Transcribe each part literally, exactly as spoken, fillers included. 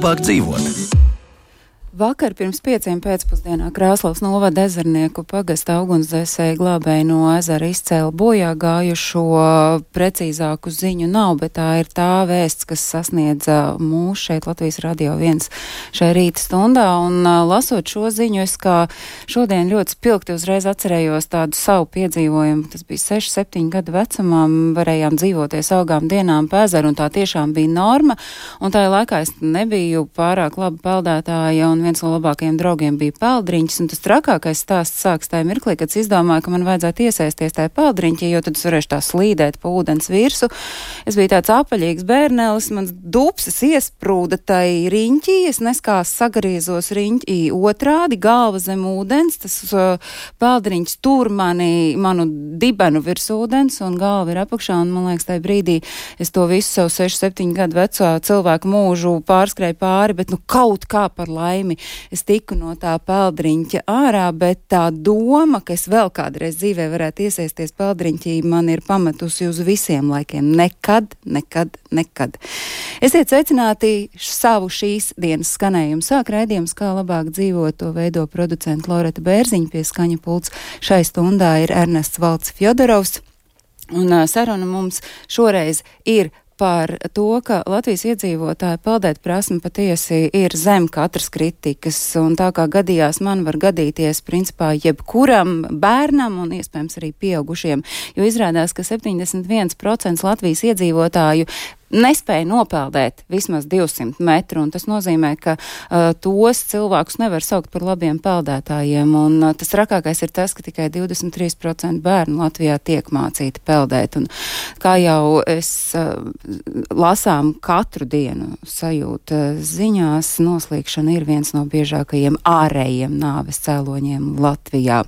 labāk dzīvot. Vakar pirms pieciem pēcpusdienā Krāslavas novada Ezernieku pagasta ugunsdzēsēji glābēji no ezera izcēla bojā gājušo. Precīzāku ziņu nav, bet tā ir tā vēsts, kas sasniedza mūs šeit Latvijas Radio viens šai rīta stundā. Un lasot šo ziņu, es kā šodien ļoti spilgti uzreiz atcerējos tādu savu piedzīvojumu. Tas bija seši, septiņi gadu vecumā, varējām dzīvoties augām dienām pa ezeru, un tā tiešām bija norma. Un tajā laikā es nebiju pārāk laba peldētāja, un viens no labākajiem draugiem bija peldriņķis, un tas trakākais stāsts sāks tajā mirklī, kad es izdomāju, ka man vajadzētu iesaisties tajā peldriņķī, jo tad es varēšu tā slīdēt pa ūdens virsu. Es biju tāds apaļīgs bērnelis, mans dupsis iesprūda tai riņķī, es neskās sagriezos riņķī otrādi, galva zem ūdens, tas uh, peldriņķis tur mani, manu dibenu virs ūdens, un galva ir apakšā, un man liekas, tajā brīdī es to visu savu seši, septiņu gadu veco cilvēku mūžu pārskrēju pāri, bet nu kaut kā par laimi es tiku no tā peldriņķa ārā, bet tā doma, ka es vēl kādreiz dzīvē varētu iesaisties peldriņķī, man ir pametusi uz visiem laikiem. Nekad, nekad, nekad. Esiet sveicināti savu šīs dienas skanējumu. Sāk raidījums, kā labāk dzīvot, to veido producenta Loreta Bērziņa, pie skaņa pults šai stundā ir Ernests Valds Fjodorovs. Un uh, saruna mums šoreiz ir par to, ka Latvijas iedzīvotāju peldēt prasme patiesi ir zem katras kritikas, un tā kā gadījās man var gadīties principā jebkuram bērnam un iespējams arī pieaugušiem, jo izrādās, ka septiņdesmit viens procents Latvijas iedzīvotāju nespēja nopeldēt vismaz divsimt metru, un tas nozīmē, ka uh, tos cilvēkus nevar saukt par labiem peldētājiem, un uh, tas rakākais ir tas, ka tikai divdesmit trīs procenti bērnu Latvijā tiek mācīti peldēt, un kā jau es uh, lasām katru dienu sajūta ziņās, noslīkšana ir viens no biežākajiem ārējiem nāves cēloņiem Latvijā.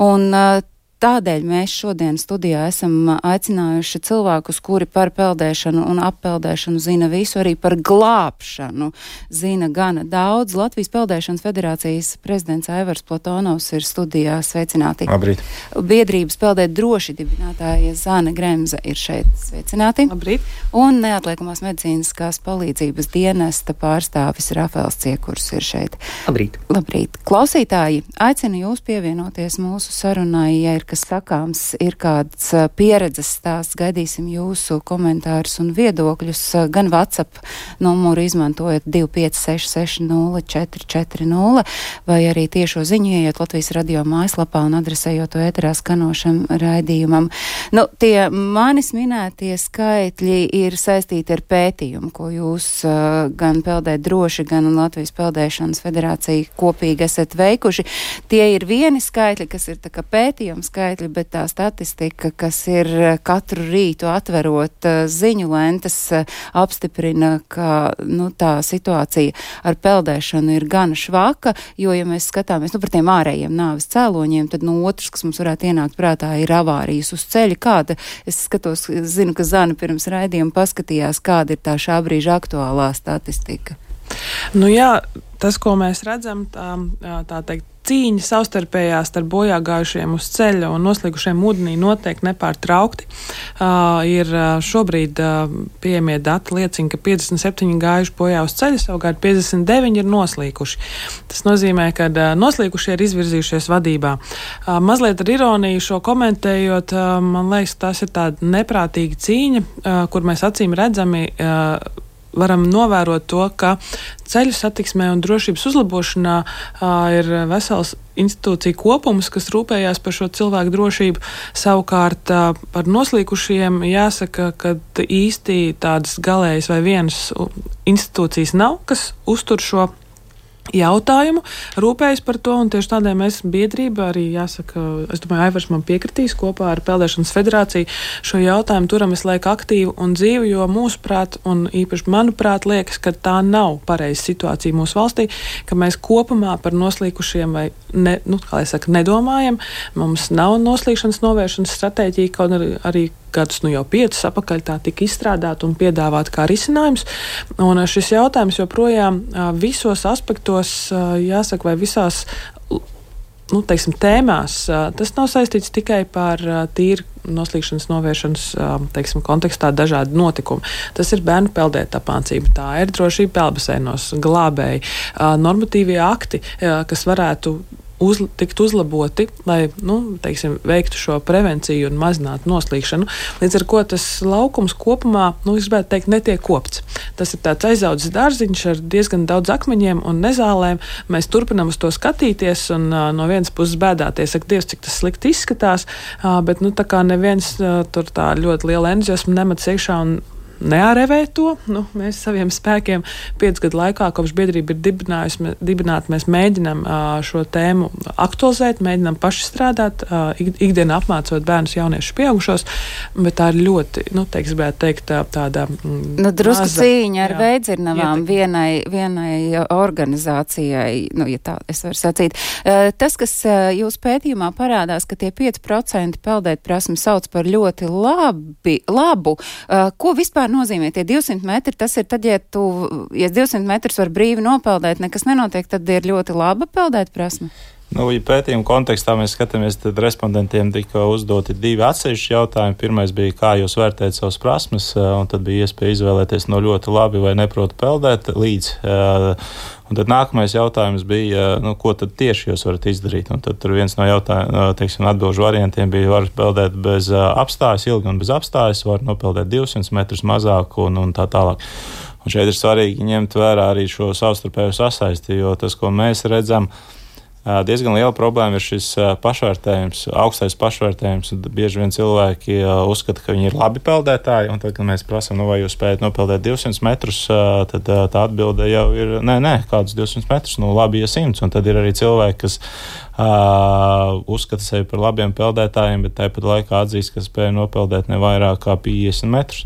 Un uh, Tādēļ mēs šodien studijā esam aicinājuši cilvēkus, kuri par peldēšanu un appeldēšanu zina visu, arī par glābšanu zina gana daudz. Latvijas Peldēšanas federācijas prezidents Aivars Platonovs ir studijā. Sveicināti. Labrīt. Biedrības Peldēt droši dibinātāja Zane Gremza ir šeit. Sveicināti. Labrīt. Un neatliekamās medicīniskās palīdzības dienesta pārstāvis Rafēls Ciekurs ir šeit. Labrīt. Labrīt. Klausītāji, aicinu jūs pievienoties mūsu sarunai, ja ir kas sakāms, ir kāds uh, pieredzes stāsts, gaidīsim jūsu komentārus un viedokļus, uh, gan WhatsApp numuru izmantojot divi pieci seši seši nulle četri četri nulle, vai arī tiešo ziņu ieiet Latvijas radio mājaslapā un adresējot to ēterā skanošam raidījumam. Nu, tie manis minētie skaitļi ir saistīti ar pētījumu, ko jūs uh, gan Peldēt droši, gan Latvijas Peldēšanas federācija kopīgi esat veikuši. Tie ir vieni skaitļi, kas ir tā kā pētījums skaitļi, bet tā statistika, kas ir katru rītu atverot uh, ziņu lentes, uh, apstiprina, ka nu, tā situācija ar peldēšanu ir gana švaka, jo, ja mēs skatāmies nu, par tiem ārējiem nāves cēloņiem, tad no otrs, kas mums varētu ienākt prātā, ir avārijas uz ceļa. Kāda, es skatos, zinu, ka Zana pirms raidījuma paskatījās, kāda ir tā šā brīža aktuālā statistika. Nu jā, tas, ko mēs redzam, tā, tā teikt, cīņa savstarpējā starp bojā gājušiem uz ceļa un noslīgušiem ūdenī noteikti nepārtraukti. Uh, ir šobrīd uh, pieejamie dati liecina, ka piecdesmit septiņi gājuši bojā uz ceļa, savukārt piecdesmit deviņi ir noslīkuši. Tas nozīmē, ka uh, noslīkušie ir izvirzījušies vadībā. Uh, mazliet ar ironiju šo komentējot, uh, man liekas, tas ir tāda neprātīga cīņa, uh, kur mēs acīm redzami uh, varam novērot to, ka ceļu satiksmē un drošības uzlabošanā uh, ir vesels institūcija kopums, kas rūpējās par šo cilvēku drošību. Savukārt uh, par noslīkušiem jāsaka, ka īsti tādas galējas vai vienas institūcijas nav, kas uztur šo jautājumu, rūpējas par to, un tieši tādēļ mēs biedrība arī, jāsaka, es domāju, Aivars man piekritīs kopā ar Peldēšanas federāciju šo jautājumu turam visu laiku aktīvu un dzīvu, jo mūsuprāt, un īpaši manuprāt, liekas, ka tā nav pareiza situācija mūsu valstī, ka mēs kopumā par noslīkušiem vai, ne, nu, kā lai saka, nedomājam, mums nav noslīkšanas novēršanas stratēģija, kaut arī, arī gadus nu jau piecus apakaļ tā tika izstrādāta un piedāvāta kā risinājums. Un šis jautājums joprojām visos aspektos, jāsaka, vai visās nu, teiksim, tēmās, tas nav saistīts tikai par tīri noslīkšanas novēršanas, teiksim, kontekstā dažādi notikumi. Tas ir bērnu peldēt apmācība, tā ir drošība peldbaseinos, glābēji, normatīvie akti, kas varētu Uz, tikt uzlaboti, lai, nu, teiksim, veiktu šo prevenciju un mazinātu noslīkšanu. Līdz ar ko tas laukums kopumā, nu, es gribētu teikt, netiek kopts. Tas ir tāds aizaudzis dārziņš ar diezgan daudz akmeņiem un nezālēm. Mēs turpinām uz to skatīties un uh, no vienas puses bēdāties, ak, Dievs, cik tas slikti izskatās, uh, bet, nu, tā kā neviens uh, tur tā ļoti liela entuziasma nemats iekšā un neārevē to. Nu, mēs saviem spēkiem piecu gadu laikā, kopš biedrība ir dibinājusi, dibināta, mēs mēģinām uh, šo tēmu aktualizēt, mēģinām paši strādāt, uh, ikdienā apmācot bērnus, jauniešus, pieaugušos, bet tā ir ļoti, nu, teiks, gribētu teikt, tā, tāda mm, nu, drusku maza, cīņa ar jā, veidzirnavām vienai, vienai organizācijai, nu, ja tā es varu sacīt. Uh, tas, kas uh, jūs pētījumā parādās, ka tie pieci procenti peldēt prasmi sauc par ļoti labi, labu, uh, ko vispār nozīmē tie divsimt metri, tas ir tad, ja tu, ja divsimt metrus var brīvi nopeldēt, nekas nenotiek, tad ir ļoti laba peldēt prasme? Nu, ja pētījuma kontekstā mēs skatāmies, tad respondentiem tika uzdoti divi atsevišķi jautājumi. Pirmais bija, kā jūs vērtējat savas prasmes, un tad bija iespēja izvēlēties no ļoti labi vai neprotu peldēt līdz. Un tad nākamais jautājums bija, nu, ko tad tieši jūs varat izdarīt. Un tad tur viens no jautājumiem, teiksim, atbilžu variantiem bija, var peldēt bez apstājas, ilgi un bez apstājas, var nopeldēt divsimt metrus mazāk un, un tā tālāk. Un šeit ir svarīgi ņemt vērā arī šo savstarpēju sasaisti, jo tas, ko mēs redzam, diezgan liela problēma ir šis pašvērtējums, augstais pašvērtējums. Bieži vien cilvēki uzskata, ka viņi ir labi peldētāji, un tad, kad mēs prasām, nu, vai jūs spējat nopeldēt divsimt metrus, tad tā atbilde jau ir, nē, nē, kādus divsimt metrus, nu, labi, ja simts. Un tad ir arī cilvēki, kas uh, uzskata sevi par labiem peldētājiem, bet tāpat laikā atzīst, ka spēja nopeldēt ne vairāk kā piecdesmit metrus.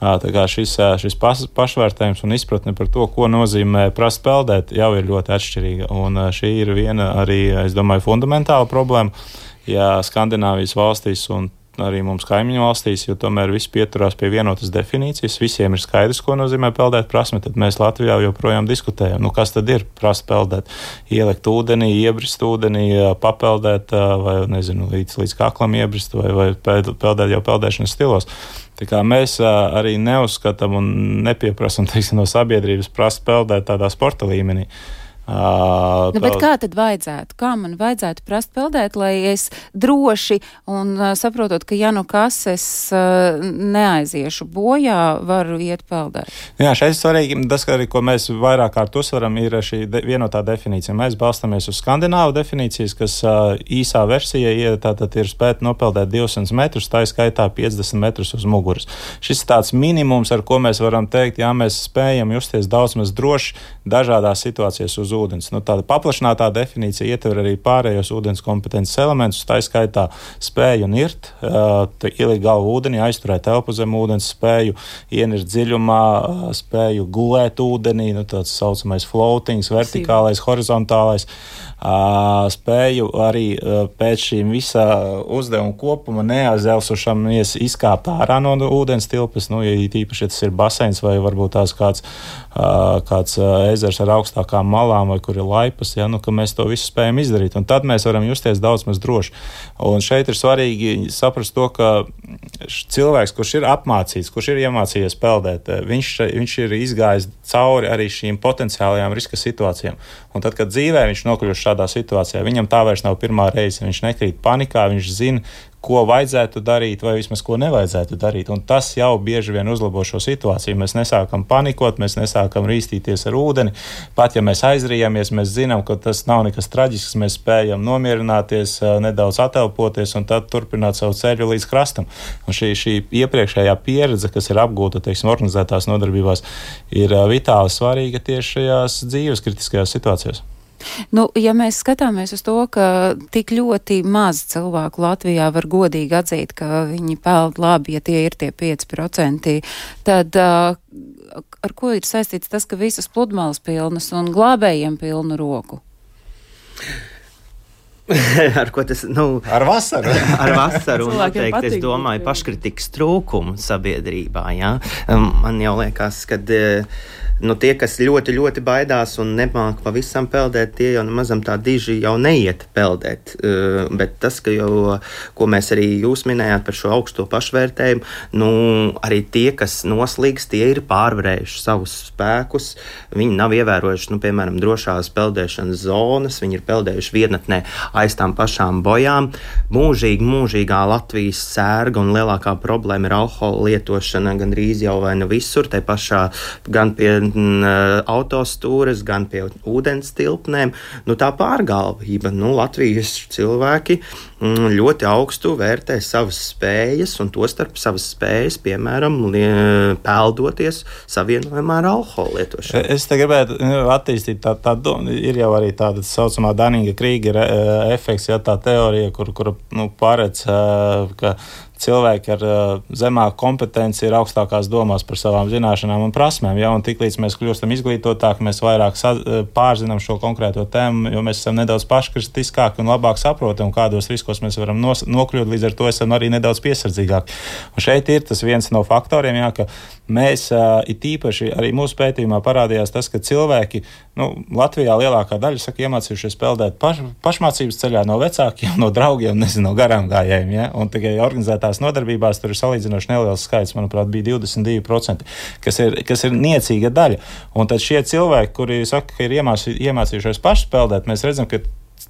Tā kā šis, šis pašvērtējums un izpratne par to, ko nozīmē prast peldēt, jau ir ļoti atšķirīga. Un šī ir viena arī, es domāju, fundamentāla problēma, ja Skandināvijas valstīs un arī mums kaimiņu valstīs, jo tomēr visi pieturās pie vienotas definīcijas, visiem ir skaidrs, ko nozīmē peldēt prasme, tad mēs Latvijā joprojām diskutējam. Nu, kas tad ir prast peldēt? Ielikt ūdenī, iebrist ūdenī, papeldēt vai, nezinu, līdz, līdz kaklam iebrist vai, vai peldēt jau peldēšanas stilos. Tā kā mēs arī neuzskatām un nepieprasam, teiksim, no sabiedrības prast peldēt tādā sporta līmenī. Uh, nu, bet kā tad vajadzētu? Kā man vajadzētu prast peldēt, lai es droši un uh, saprotot, ka ja nu kas es uh, neaiziešu bojā, varu iet peldēt? Jā, šeit svarīgi, tas, arī, ko mēs vairāk kārt uzsveram, ir šī de- vienotā definīcija. Mēs balstamies uz skandināvu definīcijas, kas uh, īsā versija tātad ir spēt nopeldēt divsimt metrus, tā skaitā piecdesmit metrus uz muguras. Šis ir tāds minimums, ar ko mēs varam teikt, jā, mēs spējam justies daudz maz droši dažādās situācijās uz ūdens. Nu, tāda paplašinātā definīcija ietver arī pārējos ūdens kompetences elementus, tā skaitā spēju nirt, uh, ielikt galvu ūdenī, aizturēt elpu zem ūdens, spēju ienirt dziļumā, uh, spēju gulēt ūdenī, nu, tāds saucamais floatings, vertikālais, horizontālais, uh, spēju arī uh, pēc šīm visā uzdevuma kopuma neazelsušamies izkāpt ārā no ūdens tilpes, nu, ja īpaši, ja tas ir baseins vai varbūt tās kāds, uh, kāds uh, ezers ar augstākām malām, vai kur ir laipas, ja, nu, ka mēs to visu spējam izdarīt. Un tad mēs varam justies daudz maz droši. Un šeit ir svarīgi saprast to, ka cilvēks, kurš ir apmācīts, kurš ir iemācījies peldēt, viņš, viņš ir izgājis cauri arī šīm potenciālajām riska situācijām. Un tad, kad dzīvē viņš nokļūst šādā situācijā, viņam tā vairs nav pirmā reize, viņš nekrīt panikā, viņš zina, ko vajadzētu darīt vai vismaz ko nevajadzētu darīt. Un tas jau bieži vien uzlabo šo situāciju. Mēs nesākam panikot, mēs nesākam rīstīties ar ūdeni. Pat ja mēs aizrījāmies, mēs zinām, ka tas nav nekas traģisks, mēs spējam nomierināties, nedaudz atelpoties un tad turpināt savu ceļu līdz krastam. Un šī, šī iepriekšējā pieredze, kas ir apgūta, teiksim, organizētās nodarbībās, ir vitāli svarīga tieši šajās dzīves kritiskajās situācijās. Nu, ja mēs skatāmies uz to, ka tik ļoti maz cilvēku Latvijā var godīgi atzīt, ka viņi peld labi, ja tie ir tie pieci procenti, tad uh, ar ko ir saistīts tas, ka visas pludmales pilnas un glābējiem pilnu roku? ar ko tas, nu... Ar vasaru. ar vasaru, un noteikti, es domāju, paškritikas trūkumu sabiedrībā, jā. Man jau liekas, kad nu, tie, kas ļoti, ļoti baidās un nemāk pavisam peldēt, tie jau mazam tā diži jau neiet peldēt. Uh, bet tas, ka jau, ko mēs arī jūs minējāt par šo augsto pašvērtējumu, nu, arī tie, kas noslīgs, tie ir pārvarējuši savus spēkus. Viņi nav ievērojuši, nu, piemēram, drošās peldēšanas zonas, viņi ir peldējuši vietnetnē aiz tām pašām bojām. Mūžīgi, mūžīgā Latvijas sērga un lielākā problēma ir alkohola lietošana gandrīz jau vai nu visur, tai pašā gan pie m, autostūres, gan pie ūdens tilpnēm. Nu, tā pārgalvība, nu, Latvijas cilvēki m, ļoti augstu vērtē savas spējas, un to starp savas spējas, piemēram, li, peldoties savienojumā ar alkohola lietošanu. Es te gribētu attīstīt tā, tā ir jau arī tāda saucamā Daninga Krīgera efekts, ja tā teorija, kur, kur nu, paredz, ka cilvēki ar uh, zemāku kompetenci ir augstākās domās par savām zināšanām un prasmēm. Ja? Un tiklīdz mēs kļūstam izglītotāki, mēs vairāk sa- pārzinām šo konkrēto tēmu, jo mēs esam nedaudz paškritiskāki un labāk saprotam, kādos riskos mēs varam nos- nokļūt, līdz ar to esam arī nedaudz piesardzīgāki. Un šeit ir tas viens no faktoriem, jā, ka mēs uh, it īpaši arī mūsu pētījumā parādījās tas, ka cilvēki, nu, Latvijā lielākā daļa saka, iemācījušies peldēt paš, pašmācības ceļā no vecākiem, no draugiem, nezinu, no garām gājējiem, ja? Un tikai organizētā nodarbībās tur ir salīdzinoši neliels skaits, manuprāt, bija divdesmit divi procenti, kas ir, kas ir niecīga daļa. Un tad šie cilvēki, kuri saka, ka ir iemācī, iemācījušies paši peldēt, mēs redzam, ka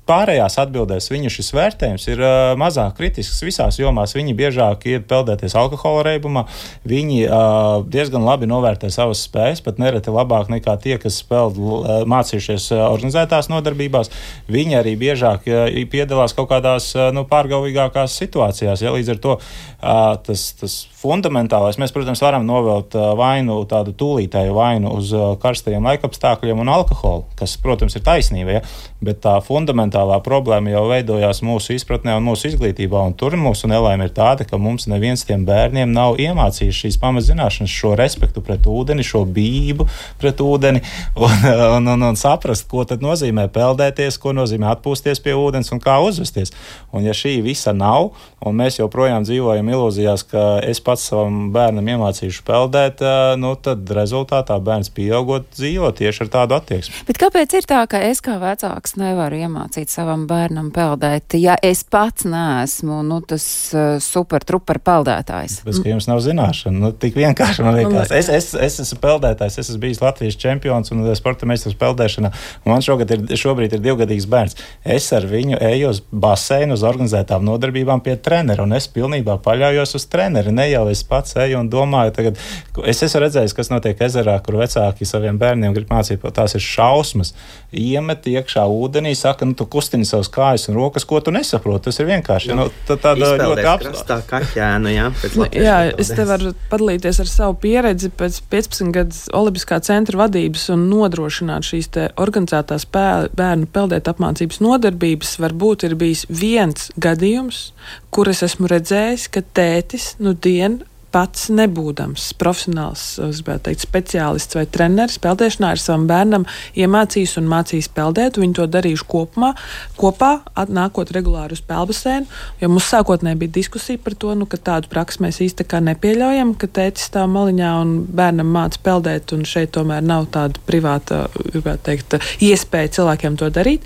pārējās atbildēs viņu šis vērtējums ir uh, mazāk kritisks visās jomās. Viņi biežāk ir peldēties alkohola reibumā, viņi uh, diezgan labi novērtē savas spējas, pat nereti labāk nekā tie, kas peld, uh, mācījušies uh, organizētās nodarbībās. Viņi arī biežāk uh, piedalās kaut kādās uh, nu, pārgalvīgākās situācijās. Ja? Līdz ar to uh, tas, tas fundamentālais, mēs, protams, varam novelt uh, vainu, tādu tūlītēju vainu uz uh, karstajiem laikapstākļiem un alkoholu, kas, protams, ir taisnība, ja? Bet tā fundamentālā problēma jau veidojās mūsu izpratnē un mūsu izglītībā, un tur mūsu nelaime ir tāda, ka mums neviens tiem bērniem nav iemācījis šīs pamatzināšanas, šo respektu pret ūdeni, šo bību pret ūdeni, un, un, un, un saprast, ko tad nozīmē peldēties, ko nozīmē atpūsties pie ūdens un kā uzvesties. Un ja šī visa nav, un mēs joprojām dzīvojam ilūzijās, ka es pats savam bērnam iemācīšu peldēt, nu tad rezultātā bērns pieaugot dzīvo tieši ar tādu attieksmi. Bet kāpēc ir tā, ka es kā vecāks nevaru iemācīt savam bērnam peldēt, ja es pats neesmu, nu, tas uh, super trupar peldētājs? Bez, ka jums nav zināšana, nu, tik vienkārši man liekas. Es, es, es esmu peldētājs, es esmu bijis Latvijas čempions un sporta meistars peldēšanā, un man šogad ir, šobrīd ir divgadīgs bērns. Es ar viņu eju uz baseinu, uz organizētām nodarbībām pie trenera, un es pilnībā paļaujos uz treneri. Ne jau es pats eju un domāju, tagad, es esmu redzējis, kas notiek ezerā, kur vecāki saviem bērniem grib mācīt, tās ir šausmas. Iemet iekšā ūdenī, saka, nu, tu kustini savas kājas un rokas, ko tu nesaproti. Tas ir vienkārši. Nu, tā, tāda ļoti apstāta kaķēnu, jā. Nu, jā, es te varu padalīties ar savu pieredzi pēc piecpadsmit gadus Olimpiskā centra vadības un nodrošināt šīs te organizētās bērnu peldēt apmācības nodarbības. Varbūt ir bijis viens gadījums, kur es esmu redzējis, ka tētis nu dien pats nebūdams profesionāls, es gribētu teikt, speciālists vai treneris peldēšanā ar savam bērnam iemācījis un mācījis peldēt. Viņi to darījuši kopumā, kopā, nākot regulāri uz peldbasēnu, jo mums sākotnēji bija diskusija par to, nu, ka tādu praksi mēs īsti kā nepieļaujam, ka tētis stāv maliņā un bērnam māca peldēt, un šeit tomēr nav tāda privāta, gribētu teikt, iespēja cilvēkiem to darīt.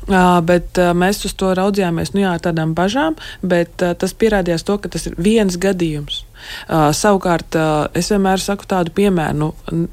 Uh, bet uh, mēs uz to raudzījāmies, nu jā, ar tādām bažām, bet uh, tas pierādījās to, ka tas ir viens gadījums. Uh, savukārt, uh, es vienmēr saku tādu piemēru, nu,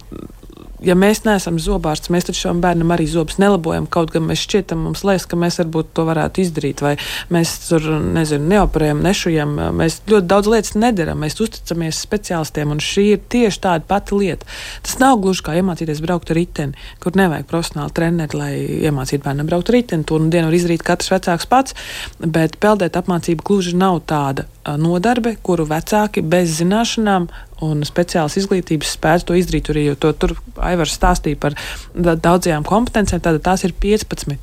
ja mēs neesam zobārsts, mēs taču šam bērnam arī zobus nelabojam, kaut gan mēs šķietam, mums liekas, ka mēs varbūt to varētu izdarīt, vai mēs tur, nezinu, neoperējam, nešujam, mēs ļoti daudz lietas nedaram, mēs uzticamies speciālistiem, un šī ir tieši tāda pati lieta. Tas nav gluži kā iemācīties braukt ar riteni, kur nevajag profesionāli treneri, lai iemācītu bērnam braukt ar riteni, to nu dienu var izdarīt katrs vecāks pats, bet peldēt apmācība gluži nav tāda nodarbe, kuru vecāki bez zināšanām un speciālas izglītības spētu to izdarīt, jo to tur Aivars stāstīja par daudzajām kompetencēm, tātad tās ir piecpadsmit,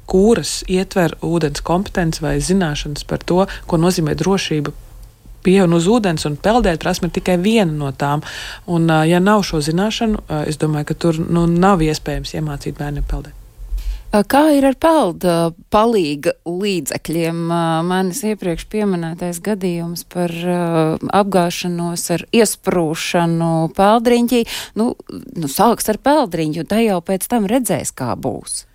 kuras ietver ūdens kompetenci vai zināšanas par to, ko nozīmē drošība pie un uz ūdens, un peldēt prasme ir tikai viena no tām. Un, ja nav šo zināšanu, es domāju, ka tur nu, nav iespējams iemācīt bērniem peldēt. Kā ir ar pelda palīga līdzekļiem? Manis iepriekš pieminētais gadījums par apgāšanos ar iesprūšanu peldriņķī. Nu, nu sāks ar peldriņķu, tā jau pēc tam redzēs, kā būs.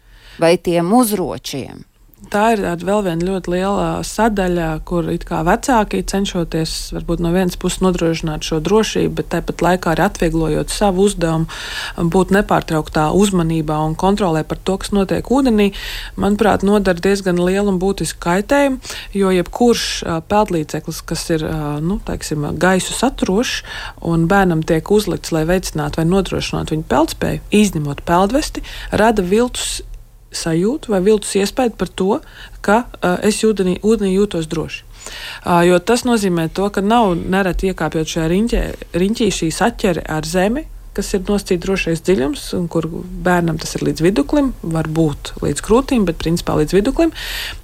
Vai tiem uzročiem? Tā ir vēl viena ļoti liela sadaļa, kur it kā vecāki cenšoties varbūt no vienas puses nodrošināt šo drošību, bet tāpat laikā arī atvieglojot savu uzdevumu, būt nepārtrauktā uzmanībā un kontrolē par to, kas notiek ūdenī, manuprāt, nodara diezgan lielu un būtisku kaitējumu, jo jebkurš peldlīdzeklis, kas ir, nu, teiksim, gaisu saturošs un bērnam tiek uzlikts, lai veicinātu vai nodrošinātu viņu peldspēju, izņemot peldvesti, rada viltus sajūtu vai viltus iespēju par to, ka uh, es ūdenī, ūdenī jūtos droši. Uh, jo tas nozīmē to, ka nav nereti iekāpjot šajā riņķē, riņķī šī saķere ar zemi, kas ir nosacīts drošais dziļums, un kur bērnam tas ir līdz viduklim, var būt līdz krūtīm, bet principā līdz viduklim.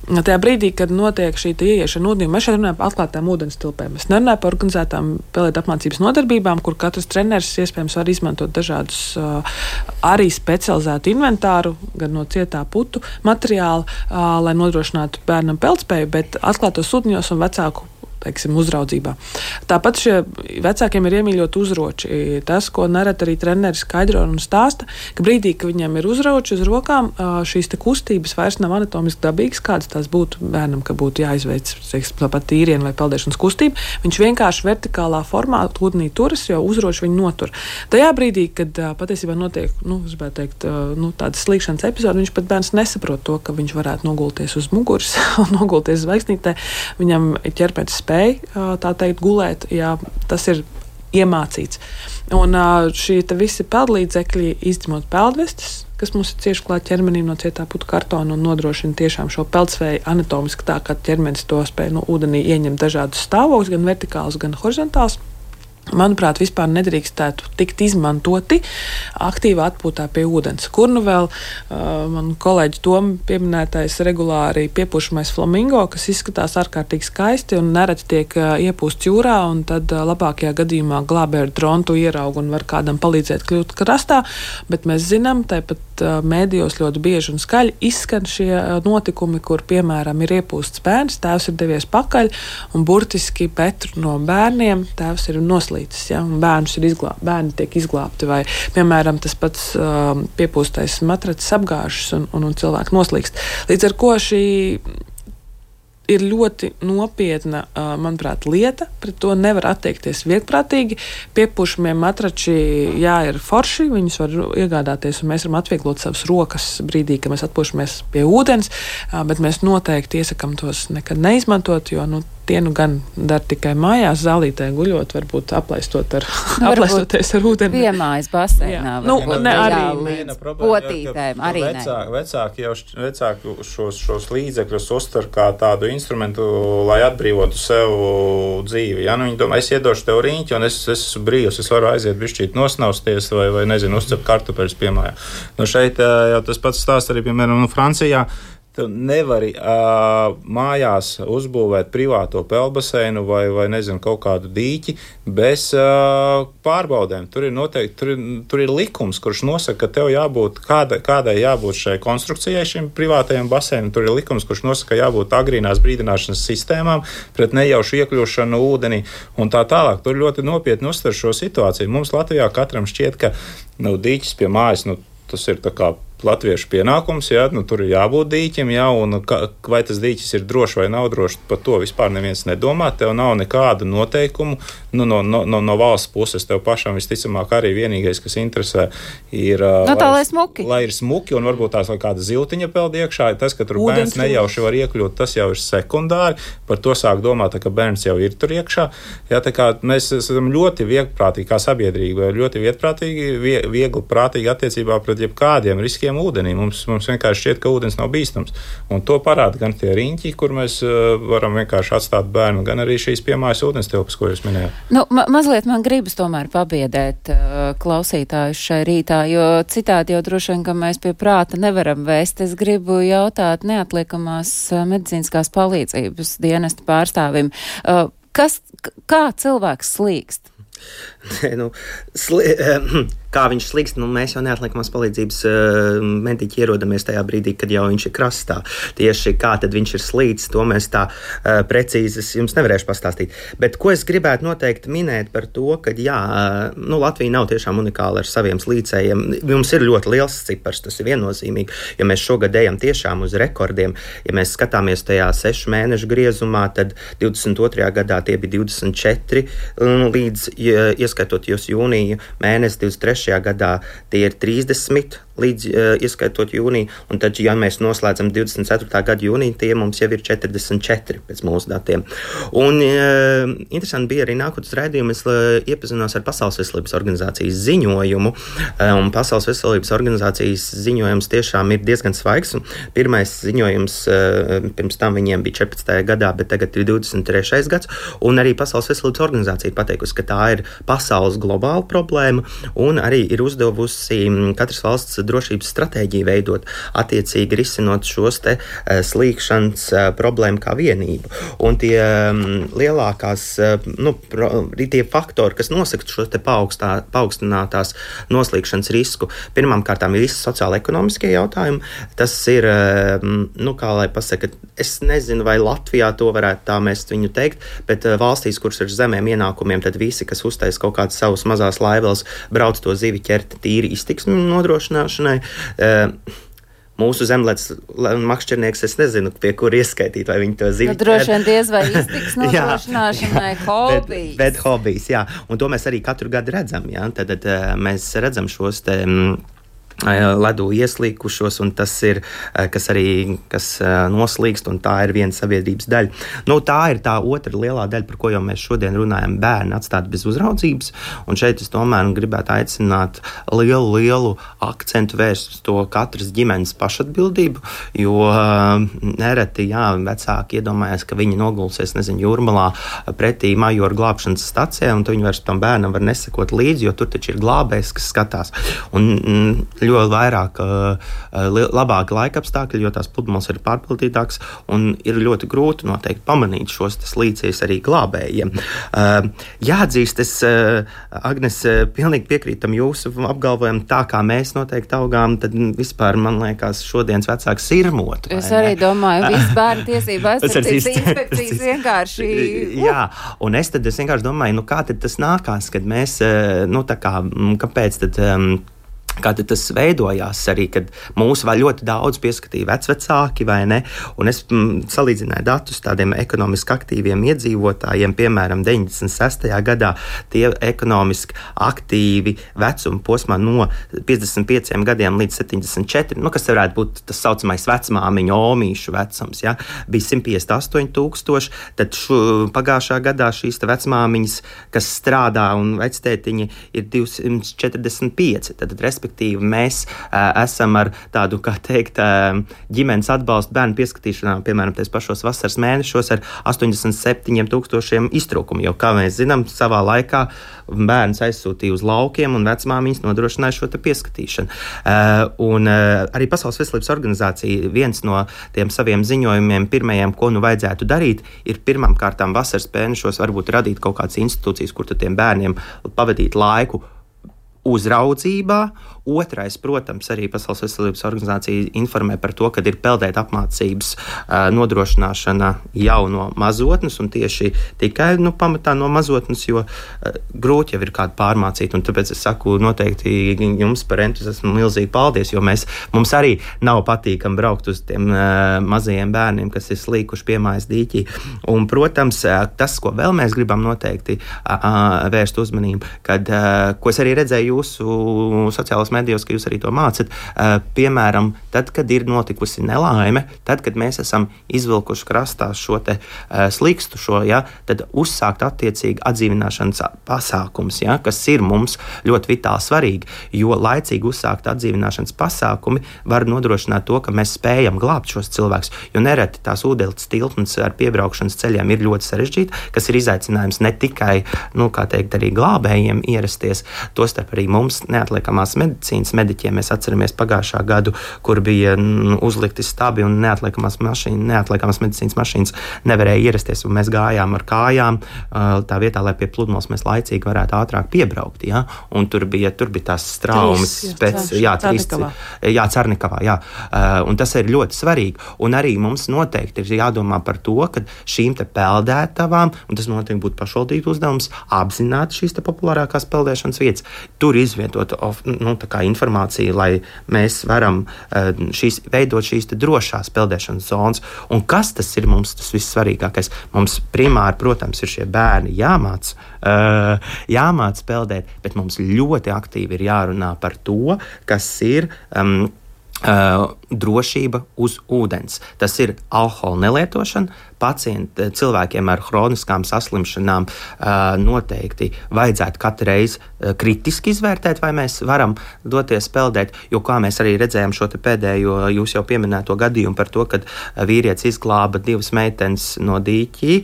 Tajā brīdī, kad notiek šī ieiešana ūdenī, mēs šeit runājam par atklātām ūdens tilpēm. Es nerunāju par organizētām pelētu apmācības nodarbībām, kur katrs treneris iespējams var izmantot dažādus uh, arī specializētu inventāru, gan no cietā putu materiāla, uh, lai nodrošinātu bērnam peldspēju, bet atklātos ūdeņos un vecāku teiksim, uzraudzībā. Tāpat šie vecākiem ir iemīļot uzroči. Tas, ko nereti arī treneri skaidro un stāsta, ka brīdī, ka viņam ir uzroči uz rokām, šīs te kustības vairs nav anatomiski dabīgas, kādas tās būtu bērnam, ka būtu jāizveic tāpat tīrienu vai peldēšanas kustību. Viņš vienkārši vertikālā formā ūdenī turas, jo uzroči viņu notur. Tajā brīdī, kad patiesībā notiek, nu, es gribētu teikt, nu, tādas slīkšanas epizode, viņš pat bērns nesaprot to, ka viņš varētu nogulties uz muguras un nogulties zvaigznītē. Viņam ķermenis spēj tā teikt gulēt, jā, tas ir iemācīts. Un šī visi peldlīdzekļi, izņemot peldvestes, kas mums ir cieši klāt ķermenim no cietā putu kartona un nodrošina tiešām šo peldspēju anatomiski tā, ka ķermenis to spēj no ūdenī ieņemt dažādus stāvokļus, gan vertikālus, gan horizontālus. Manuprāt, vispār nedrīkstētu tikt izmantoti aktīvā atpūtā pie ūdens. Kur nu vēl uh, man kolēģi Toma pieminētais regulāri piepūšamais flamingo, kas izskatās ārkārtīgi skaisti un nereti tiek uh, iepūsts jūrā, un tad uh, labākajā gadījumā glābēju drontu ieraug un var kādam palīdzēt kļūt krastā, bet mēs zinām, tāpat uh, mēdījos ļoti bieži un skaļi izskan šie uh, notikumi, kur, piemēram, ir iepūsts bērns, tēvs ir devies pakaļ un burtiski petru no bērniem tēvs ir noslēgts. Ja, bērnus ir izglābti, bērni tiek izglābti, vai, piemēram, tas pats uh, piepūstais matracis apgāžas un, un, un cilvēki noslīkst. Līdz ar ko šī ir ļoti nopietna, uh, manuprāt, lieta, pret to nevar attiekties viegprātīgi. Piepūšamie matrači, jā, ir forši, viņus var iegādāties, un mēs varam atvieglot savas rokas brīdī, kad mēs atpūšamies pie ūdens, uh, bet mēs noteikti iesakam tos nekad neizmantot, jo, nu, tie nu gan dar tikai mājās, zālītē guļot, varbūt aplaistot ar, nu, aplaistoties ar ūdeni. Piemājas baseinā. Nu, ne, arī līdz potītēm, arī vecāki, vecāki jau vecāki šos, šos līdzekļus uztver kā tādu instrumentu, lai atbrīvotu sev dzīvi. Ja? Nu, viņi domā, es iedošu tev riņķi, un es, es esmu brīvs, es varu aiziet bišķīt nosnausties vai, vai nezinu, uzcept kartupeļus piemājā. Nu, šeit jau tas pats stāsts arī, piemēram, nu, Francijā. Tu nevari uh, mājās uzbūvēt privāto peldbaseinu vai, vai nezinu, kaut kādu dīķi bez uh, pārbaudēm. Tur ir noteikti, tur ir, tur ir likums, kurš nosaka, ka tev jābūt, kāda, kādai jābūt šai konstrukcijai, šim privātajam baseinam. Tur ir likums, kurš nosaka, ka jābūt agrīnās brīdināšanas sistēmām pret nejaušu iekļūšanu ūdenī un tā tālāk. Tur ļoti nopietni uztver šo situāciju. Mums Latvijā katram šķiet, ka nu, dīķis pie mājas, nu, tas ir tā kā latviešu pienākums, jā, nu, tur ir jābūt dīķim, jā, un ka, vai tas dīķis ir drošs vai nav drošs, par to vispār neviens nedomā. Tev nav nekādu noteikumu nu, no, no, no, no valsts puses. Tev pašam visticamāk arī vienīgais, kas interesē, ir, no tā, lai, lai, smuki. lai ir smuki un varbūt tās kāda ziltiņa peld iekšā. Tas, ka tur Ūdens bērns nejauši var iekļūt, tas jau ir sekundāri. Par to sāk domāt, tā, ka bērns jau ir tur iekšā. Jā, tā kā mēs esam ļoti viegprātīgi, kā sabiedrība, ļoti viegprātīgi, vie, viegli prātīgi attiecībā pret jebkādiem riskiem ūdenī. Mums, mums vienkārši šķiet, ka ūdens nav bīstams. Un to parāda gan tie riņķi, kur mēs uh, varam vienkārši atstāt bērnu, gan arī šīs piemājas ūdens tilpas, ko jūs minējāt. Nu, ma mazliet man gribas tomēr pabiedēt uh, klausītājus šai rītā, jo citādi jau droši vien, ka mēs pie prāta nevaram vēst. Es gribu jautāt neatliekamās uh, medicīniskās palīdzības dienesta pārstāvim. Uh, kas, kā cilvēks slīkst? Nu, sli, kā viņš slīkst, nu, mēs jau neatliekamās palīdzības uh, mediķi ierodamies tajā brīdī, kad jau viņš ir krastā. Tieši kā tad viņš ir slīdis, to mēs tā uh, precīzi jums nevarēšu pastāstīt. Bet ko es gribētu noteikti minēt par to, ka jā, uh, nu, Latvija nav tiešām unikāla ar saviem slīcējiem. Mums ir ļoti liels cipars, tas ir viennozīmīgi, jo mēs šogad ejam tiešām uz rekordiem. Ja mēs skatāmies tajā sešu mēnešu griezumā, tad divdesmit otrajā gadā tie bija divdesmit četri līdz, ieskaitot jūs jūniju mēnesi, divdesmit trešajā gadā tie ir trīsdesmit līdz ieskaitot jūniju, un tad, ja mēs noslēdzam divdesmit ceturtā gada jūniju, tie mums jau ir četrdesmit četri pēc mūsu datiem. Un interesanti bija arī nākotnes raidījumi, es iepazinos ar Pasaules veselības organizācijas ziņojumu, un Pasaules veselības organizācijas ziņojums tiešām ir diezgan svaigs. Pirmais ziņojums, pirms tam viņiem bija četrpadsmitajā gadā, bet tagad ir divdesmit trešais gads, un arī Pasaules veselības organizācija ir pateikusi, ka tā ir pasaules globāla problēma, un arī ir uzdevusi katras valsts drošības stratēģiju veidot, attiecīgi risinot šos te uh, slīkšanas uh, problēmu kā vienību. Un tie um, lielākās, uh, nu, pro, tie faktori, kas nosaka šos te paaugstā, paaugstinātās noslīkšanas risku, pirmām kārtām ir visi sociāla-ekonomiskie jautājumi. Tas ir, uh, nu, kā lai pasaka, es nezinu, vai Latvijā to varētu tā mēs viņu teikt, bet uh, valstīs, kuras ir zemiem ienākumiem, tad visi, kas uztais kaut kādas savas mazās laiveles, brauc to zivi ķert tīri iztiksmi nodrošināšanai. Mūsu zemlētas makšķernieks, es nezinu, pie kur ieskaitīt, vai viņi to zivi ķer. Nu, droši vien diez vai iztiks nodrošināšanai hobijs. Bet, bet hobijs, jā. Un to mēs arī katru gadu redzam, jā. Tad, tad mēs redzam šos te ledu ieslīkušos, un tas ir, kas arī kas noslīkst, un tā ir viena sabiedrības daļa. Nu, tā ir tā otra lielā daļa, par ko jau mēs šodien runājam, bērni atstāt bez uzraudzības, un šeit es tomēr gribētu aicināt lielu, lielu akcentu vērst uz to katras ģimenes pašatbildību, jo nereti, jā, vecāki iedomājas, ka viņi nogulsies, nezinu, Jūrmalā pretī Majoru glābšanas stacijā, un to viņi vairs tam bērnam var nesekot līdzi, jo tur taču ir glābējs, kas skatās. Un, ļoti vairāk, labāki laika apstākļi, jo tās pludmales ir pārpildītākas, un ir ļoti grūti noteikti pamanīt šos slīcējus arī glābējiem. Jāatzīst, es, Agnes, pilnīgi piekrītam jūsu apgalvojumu, tā kā mēs noteikti augām, tad vispār, man liekas, šodienas vecāks sirmotu. Es arī ne? domāju, viss bērnu tiesība aizsardzības inspekcijas vienkārši... Jā, un es tad es vienkārši domāju, nu kā tad tas nākās, kad mēs, nu tā kā, kāpēc tad... Um, Kā tas veidojās arī, kad mūs vēl ļoti daudz pieskatīja vecvecāki, vai ne? Un es m, salīdzināju datus tādiem ekonomiski aktīviem iedzīvotājiem, piemēram, deviņdesmit sestajā gadā tie ekonomiski aktīvi vecuma posmā no piecdesmit pieciem gadiem līdz septiņdesmit četriem, nu, kas varētu būt tas saucamais vecmāmiņu omīšu vecums, ja? Bija simt piecdesmit astoņi tūkstoši, tad šu, pagājušā gadā šīs vecmāmiņas, kas strādā un vectētiņi ir divsimt četrdesmit pieci, tad respektīvi mēs uh, esam ar tādu, kā teikt, uh, ģimenes atbalstu bērnu pieskatīšanā, piemēram, tais pašos vasaras mēnešos ar astoņdesmit septiņiem tūkstošiem iztrūkumu, jo, kā mēs zinām, savā laikā bērns aizsūtīja uz laukiem un vecmāmiņas nodrošināja šo te pieskatīšanu. Uh, un uh, arī Pasaules veselības organizācija viens no tiem saviem ziņojumiem pirmajiem, ko nu vajadzētu darīt, ir pirmām kārtām vasaras mēnešos varbūt radīt kaut kādas institūcijas, kur tad tiem bērniem pavadīt laiku uzraudzībā. Otrais, protams, arī Pasaules veselības organizācija informē par to, ka ir peldēt apmācības uh, nodrošināšana jau no mazotnes, un tieši tikai nu, pamatā no mazotnes, jo uh, grūti jau ir kādu pārmācīt, un tāpēc es saku noteikti jums par entuziasmu milzīgi paldies, jo mēs, mums arī nav patīkami braukt uz tiem uh, mazajiem bērniem, kas ir slīkuši piemājas dīķī. Un, protams, uh, tas, ko vēl mēs gribam noteikti uh, uh, vērst uzmanību, kad, uh, ko es arī redzēju jūsu sociālās medijos, ka jūs arī to mācat, uh, piemēram, tad, kad ir notikusi nelaime, tad, kad mēs esam izvilkuši krastā šo te uh, slikstu šo, ja, tad uzsākt attiecīgi atdzīvināšanas pasākums, ja, kas ir mums ļoti vitāli svarīgi, jo laicīgi uzsākt atdzīvināšanas pasākumi var nodrošināt to, ka mēs spējam glābt šos cilvēkus, jo nereti tās ūdens tiltnes ar piebraukšanas ceļiem ir ļoti sarežģīta, kas ir izaicinājums ne tikai, nu, kā teikt, arī glābējiem ierasties, tostarp arī mums neatliekamās medicīnas mediķiem. Mēs atceramies pagājušā gadu, kur bija nu, uzlikti stabi un neatliekamās mašīnas, neatliekamās medicīnas mašīnas nevarēja ierasties, un mēs gājām ar kājām tā vietā, lai pie pludmales mēs laicīgi varētu ātrāk piebraukt, ja? Un tur bija, tur bija tās traumas pēc, jā, trīs, jā, Carnikavā, jā. Un tas ir ļoti svarīgi, un arī mums noteikti ir jādomā par to, ka šīm te peldētavām, un tas noteikti būtu pašvaldību uzdevums, apzināt šīs te populārākās peldēšanas vietas, tur izvietot, nu, tā kā informāciju, lai mēs varam šīs, veidot šīs te drošās peldēšanas zonas. Un kas tas ir mums tas vissvarīgākais? Mums primāri, protams, ir šie bērni jāmāc, uh, jāmāc peldēt, bet mums ļoti aktīvi ir jārunā par to, kas ir um, uh, drošība uz ūdens. Tas ir alkohola nelietošana. Pacienti, cilvēkiem ar hroniskām saslimšanām noteikti vajadzētu katru reizi kritiski izvērtēt, vai mēs varam doties peldēt, jo kā mēs arī redzējām šo te pēdējo, jūs jau pieminēto gadījumu par to, kad vīrietis izglāba divas meitenes no dīķī,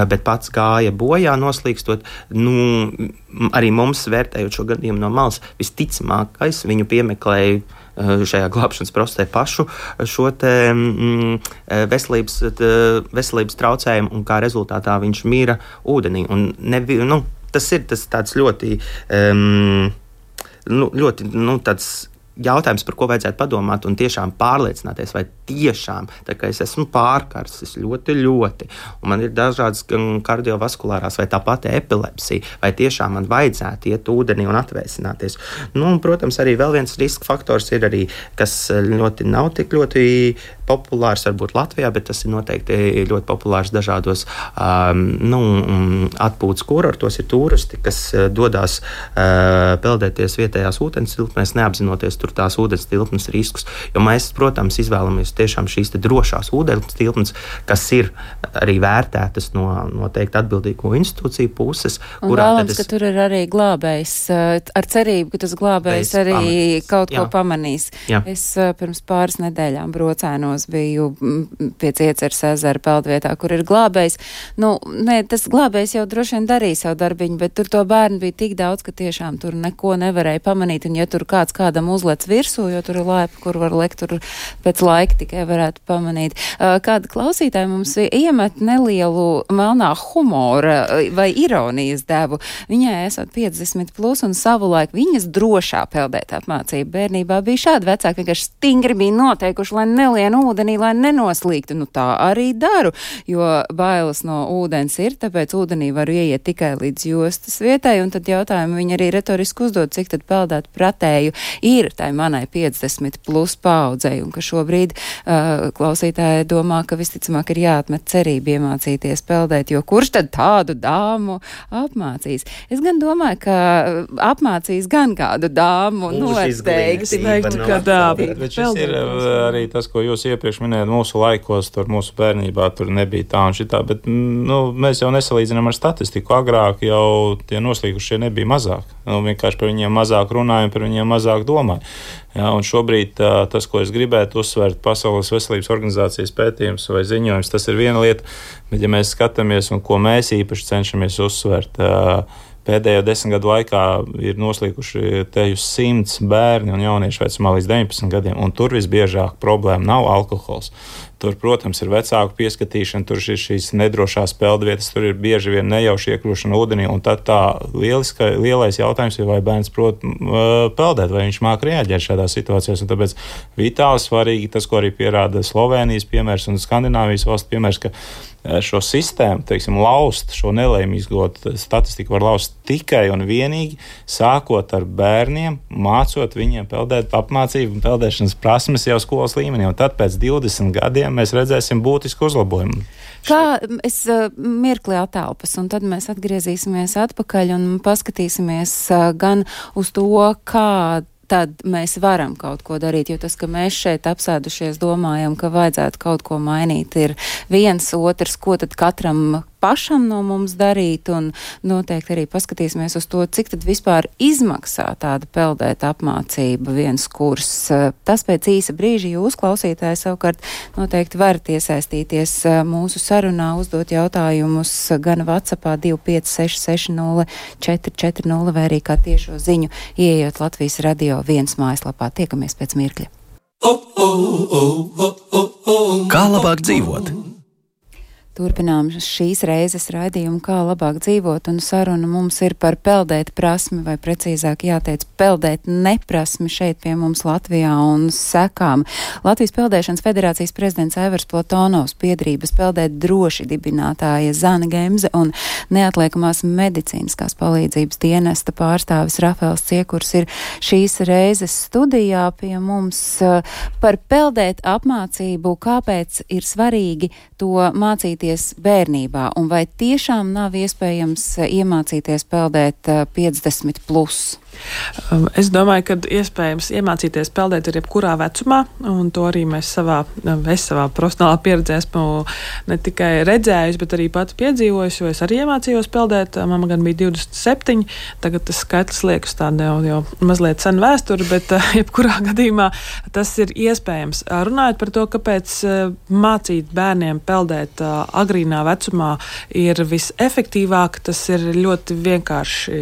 bet pats gāja bojā noslīkstot, nu, arī mums vērtējot šo gadījumu no malas, visticamākais viņu piemeklēja šajā glābšanas procesē pašu šo te mm, veselības, t, veselības traucējumu, un kā rezultātā viņš mīra ūdenī. Un nevi, nu, tas ir tas tāds ļoti, um, nu, ļoti nu, tāds jautājums, par ko vajadzētu padomāt un tiešām pārliecināties, vai tiešām, tā kā es esmu pārkarsis ļoti, ļoti, un man ir dažādas kardiovaskulārās vai tā pati epilepsija, vai tiešām man vajadzētu iet ūdenī un atvēsināties. Nu, un, protams, arī vēl viens riska faktors ir arī, kas ļoti nav tik ļoti populārs varbūt Latvijā, bet tas ir noteikti ļoti populārs dažādos um, nu, atpūtas kurortos, ir turisti, kas dodās uh, peldēties vietējās ūdens tilpnēs, neapzinoties tur tās ūdens tilpnes riskus, jo mēs, protams, izvēlamies tiešām šīs te drošās ūdens tilpnes, kas ir arī vērtētas no noteikti atbildīgo institūciju puses. Un vēlams, es... ka tur ir arī glābējs, ar cerību, ka tas glābējs arī pamanīs. Kaut Jā. Ko pamanīs. Jā. Es pirms pāris nedēļām Brocēnos biju pie Cieceres ezera peldvietā, kur ir glābējs. Nu, ne, tas glābējs jau droši vien darīja savu darbiņu, bet tur to bērnu bija tik daudz, ka tiešām tur neko nevarēja pamanīt, un ja tur kāds kādam uzlec virsū, jo tur ir laipa, kur var lekt, tur pēc laika tikai varētu pamanīt. Kāda klausītāja mums iemet nelielu melnā humora vai ironijas devu. Viņai esot piecdesmit plus un savulaik viņas drošā peldēt apmācība bērnībā bija šāda. Vecāki vienkārši stingri bija noteikuši, lai nelien ūdenī, lai nenoslīgtu. Nu tā arī daru, jo bailes no ūdens ir, tāpēc ūdenī varu ieiet tikai līdz jostas vietai, un tad jautājumu viņi arī retoriski uzdod, cik tad peldēt pratēju ir tai manai piecdesmit plus paudzei, un ka šobrīd uh, klausītāji domā, ka visticamāk ir jāatmet cerība iemācīties peldēt, jo kurš tad tādu dāmu apmācīs? Es gan domāju, ka apmācīs gan kādu dāmu noteikti. Teiktu, ka tā, bet, bet šis ir arī tas, ko jūs iepriekš minējāt, mūsu laikos, tur mūsu bērnībā tur nebija tā un šitā, bet nu, mēs jau nesalīdzinām ar statistiku. Agrāk jau tie noslīgušie nebija mazāk. Nu, vienkārši par viņiem mazāk runājam, par viņiem mazāk domāju. Jā, un šobrīd tā, tas, ko es gribētu uzsvērt, Pasaules veselības organizācijas pētījums vai ziņojums, tas ir viena lieta, bet ja mēs skatāmies un ko mēs īpaši cenšamies uzsvērt, pēdējo desmit gadu laikā ir noslīkuši te uz simts bērni un jaunieši vecumā līdz deviņpadsmit gadiem, un tur visbiežāk problēma nav alkohols. Tur, protams, ir vecāku pieskatīšana, tur ir šīs nedrošās peldvietas, tur ir bieži vien nejauši iekļūšana ūdenī, un tad tā lieliska, lielais jautājums ir, vai bērns prot peldēt, vai viņš māk reaģēt šādā situācijās, un tāpēc vitāli svarīgi tas, ko arī pierāda Slovēnijas piemērs un Skandināvijas valsts piemērs, ka šo sistēmu, teiksim, laust, šo nelēmīgo statistiku var laust tikai un vienīgi sākot ar bērniem, mācot viņiem peldēt apmācību un peldēšanas prasmes jau skolas līmenī, un tad pēc divdesmit gadiem mēs redzēsim būtisku uzlabojumu. Kā es uh, mirkli atelpas, un tad mēs atgriezīsimies atpakaļ un paskatīsimies uh, gan uz to, kā tad mēs varam kaut ko darīt, jo tas, ka mēs šeit apsēdušies domājam, ka vajadzētu kaut ko mainīt, ir viens, otrs, ko tad katram pašam no mums darīt, un noteikti arī paskatīsimies uz to, cik tad vispār izmaksā tāda peldēt apmācība, viens kurs. Tas pēc īsa brīža jūs, klausītāji, savukārt noteikti varat iesaistīties mūsu sarunā, uzdot jautājumus gan WhatsAppā divi pieci seši seši nulle četri četri nulle vai arī kā tiešo ziņu ieejot Latvijas radio viens mājaslapā. Tiekamies pēc mirkļa. Kā labāk dzīvot? Turpinām šīs reizes raidījumu, kā labāk dzīvot, un saruna mums ir par peldēt prasmi, vai precīzāk jāteic peldēt neprasmi šeit pie mums Latvijā un sekām. Latvijas Peldēšanas federācijas prezidents Aivars Platonovs, biedrības Peldēt droši dibinātāja Zana Gemze un neatliekamās medicīniskās palīdzības dienesta pārstāvis Rafaels Ciekurs ir šīs reizes studijā pie mums par peldēt apmācību, kāpēc ir svarīgi to mācīties bērnībā, un vai tiešām nav iespējams iemācīties peldēt piecdesmit plus? Es domāju, ka iespējams iemācīties peldēt ir jebkurā vecumā, un to arī mēs savā, es savā profesionālā pieredzē esmu ne tikai redzējusi, bet arī pati piedzīvojusi, jo es arī iemācījos peldēt. Mama gan bija divdesmit septiņi, tagad tas skaitlis liekas tāda jau, jau mazliet sen vēsture, bet jebkurā gadījumā tas ir iespējams. Runājot par to, kāpēc mācīt bērniem peldēt agrīnā vecumā ir visefektīvāk, tas ir ļoti vienkārši.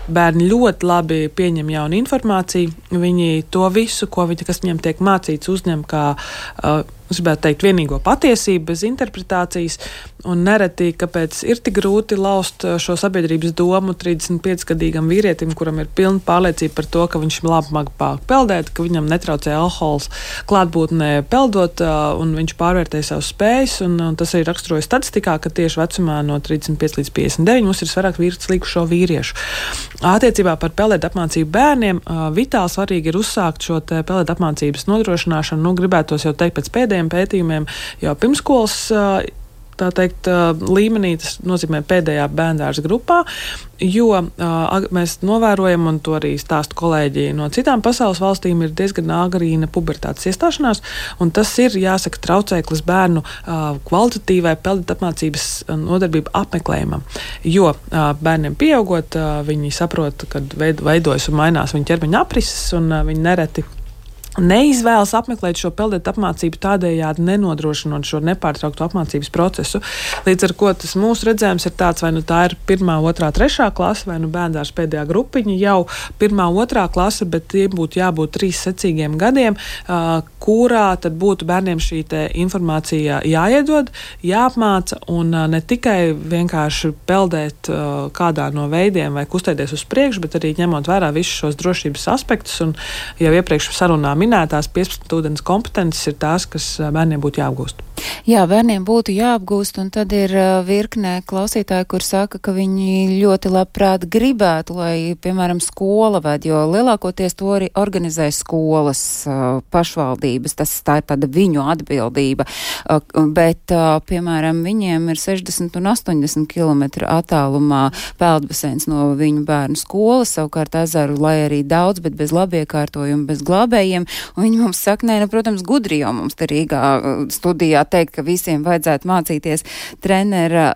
Bērni ļoti labi pieņem jaunu informāciju, viņi to visu, ko viņi, kas viņiem tiek mācīts, uzņem kā, uh, es gribētu teikt, vienīgo patiesību bez interpretācijas, un nereti, kāpēc ir tik grūti laust šo sabiedrības domu trīsdesmit piecgadīgam vīrietim, kuram ir pilna pārliecība par to, ka viņš labi māca peldēt, ka viņam netraucē alkohols klātbūtnē peldot, uh, un viņš pārvērtē savus spējas, un, un tas arī raksturoja statistikā, ka tieši vecumā no trīsdesmit pieci līdz piecdesmit deviņi mums ir vairāk līgušo vīriešu. Attiecībā par peldēt apmācību bērniem, uh, vitāli svarīgi ir uzsākt šo te peldēt apmācības nodrošināšanu, nu gribētos jau teikt pēc pēdējiem pētījumiem jau pirmskolas, tā teikt, līmenī, tas nozīmē pēdējā bērndārza grupā, jo uh, mēs novērojam, un to arī stāsta kolēģi no citām pasaules valstīm, ir diezgan agrīna pubertātes iestāšanās, un tas ir, jāsaka, traucēklis bērnu uh, kvalitatīvai peldēt apmācības nodarbību apmeklējumam, jo uh, bērniem pieaugot, uh, viņi saprot, kad veidojas un mainās viņu ķermeņa aprises, un uh, viņi nereti neizvēlas apmeklēt šo peldēt apmācību, tādējādi nenodrošinot šo nepārtrauktu apmācības procesu. Līdz ar ko tas mūsu redzējums ir tāds, vai nu tā ir pirmā, otrā, trešā klase, vai nu bērndārs pēdējā grupiņa jau pirmā, otrā klase, bet tie būtu jābūt trīs secīgiem gadiem, uh, kurā tad būtu bērniem šī te informācija jāiedod, jāapmāca, un uh, ne tikai vienkārši peldēt uh, kādā no veidiem vai kustēties uz priekšu, bet arī ņemot vērā visus šos drošības aspektus, un jau iepriekš sarunā minētās piecpadsmit ūdens kompetences ir tās, kas bērniem būtu jāapgūst. Jā, bērniem būtu jāapgūst, un tad ir virknē klausītāji, kur saka, ka viņi ļoti labprāt gribētu, lai, piemēram, skola ved, jo lielākoties to arī organizē skolas pašvaldības, tas tā ir tāda viņu atbildība, bet, piemēram, viņiem ir sešdesmit un astoņdesmit kilometru attālumā peldbaseins no viņu bērnu skolas, savukārt ezeru, lai arī daudz, bet bez labiekārtojumu, bez glābējiem, un viņi mums saka, nē, nu, protams, gudri jau mums te Rīgā studijā teikt, ka visiem vajadzētu mācīties trenera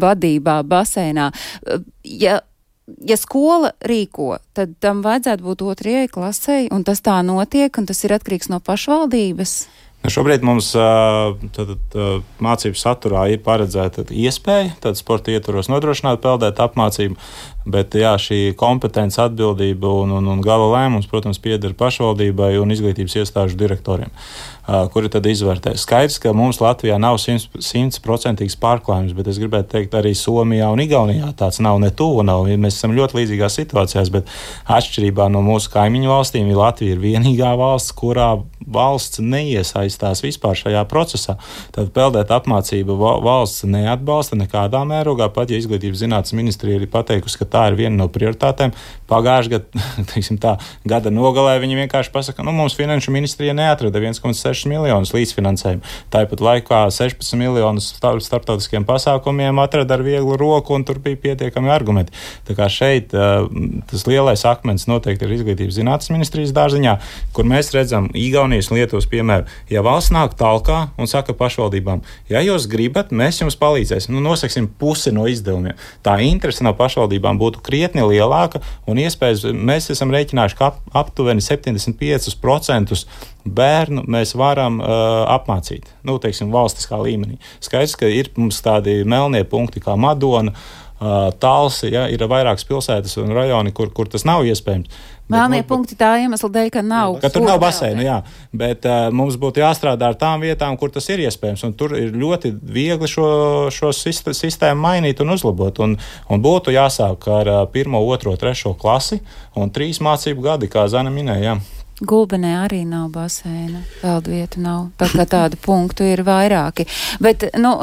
vadībā baseinā. Ja, ja skola rīko, tad tam vajadzētu būt otrajai klasei, un tas tā notiek, un tas ir atkarīgs no pašvaldības. Šobrīd mums tad, tad, mācību saturā ir paredzēta iespēja, tad sporta ietvaros nodrošināt peldēt apmācību, bet jā, šī kompetence, atbildība un, un, un gala lēmums, protams, pieder pašvaldībai un izglītības iestāžu direktoriem, kuri tad izvērtē. Skaidrs, ka mums Latvijā nav simtprocentīgs pārklājums, bet es gribētu teikt, arī Somijā un Igaunijā tāds nav, ne tuvu nav. Mēs esam ļoti līdzīgās situācijās, bet atšķirībā no mūsu kaimiņu valstīm, Latvija ir vienīgā valsts, kurā valsts neiesaistās vispār šajā procesā. Tad peldēt apmācību valsts neatbalsta nekādā mērogā, pat ja izglītības zinātnes ministrija ir pateikusi, ka tā ir viena no prioritātēm. Pagājušajā gadā, teiksim tā, gada nogalē viņi vienkārši pasaka, nu mums finanšu ministrija neatrada viens komats seši miljonus līdzfinansējumu. Tāpat laikā sešpadsmit miljonus starptautiskiem pasākumiem atrada ar vieglu roku un tur bija pietiekami argumenti. Tā kā šeit tas lielais akmens noteikti ir izglītības zinātnes ministrijas dārziņā, kur mēs redzam Igaunijas un Lietuvas piemēru. Ja valsts nāk talkā un saka pašvaldībām, ja jūs gribat, mēs jums palīdzēsim, nu nosaksim pusi no izdevumiem. Tā interese no pašvaldībām būtu krietni lielāka un iespējas mēs esam rēķinājuši, ka ap, aptuveni septiņdesmit pieci procenti bērnu mēs varam uh, apmācīt, nu, teiksim, valstiskā līmenī. Skaidrs, ka ir mums tādi melnie punkti kā Madona, Talsi, ja, ir vairākas pilsētas un rajoni, kur, kur tas nav iespējams. Melnie punkti tā iemesla dēļ, ka nav. Ka tur nav baseinu, jā. Bet uh, mums būtu jāstrādā ar tām vietām, kur tas ir iespējams. Un tur ir ļoti viegli šo, šo sistēmu mainīt un uzlabot. Un, un būtu jāsāk ar uh, pirmo, otro, trešo klasi un trīs mācību gadi, kā Zana minēja. Jā. Gulbenē arī nav baseina, peldvietu nav, tā kā tādu punktu ir vairāki. Bet, nu,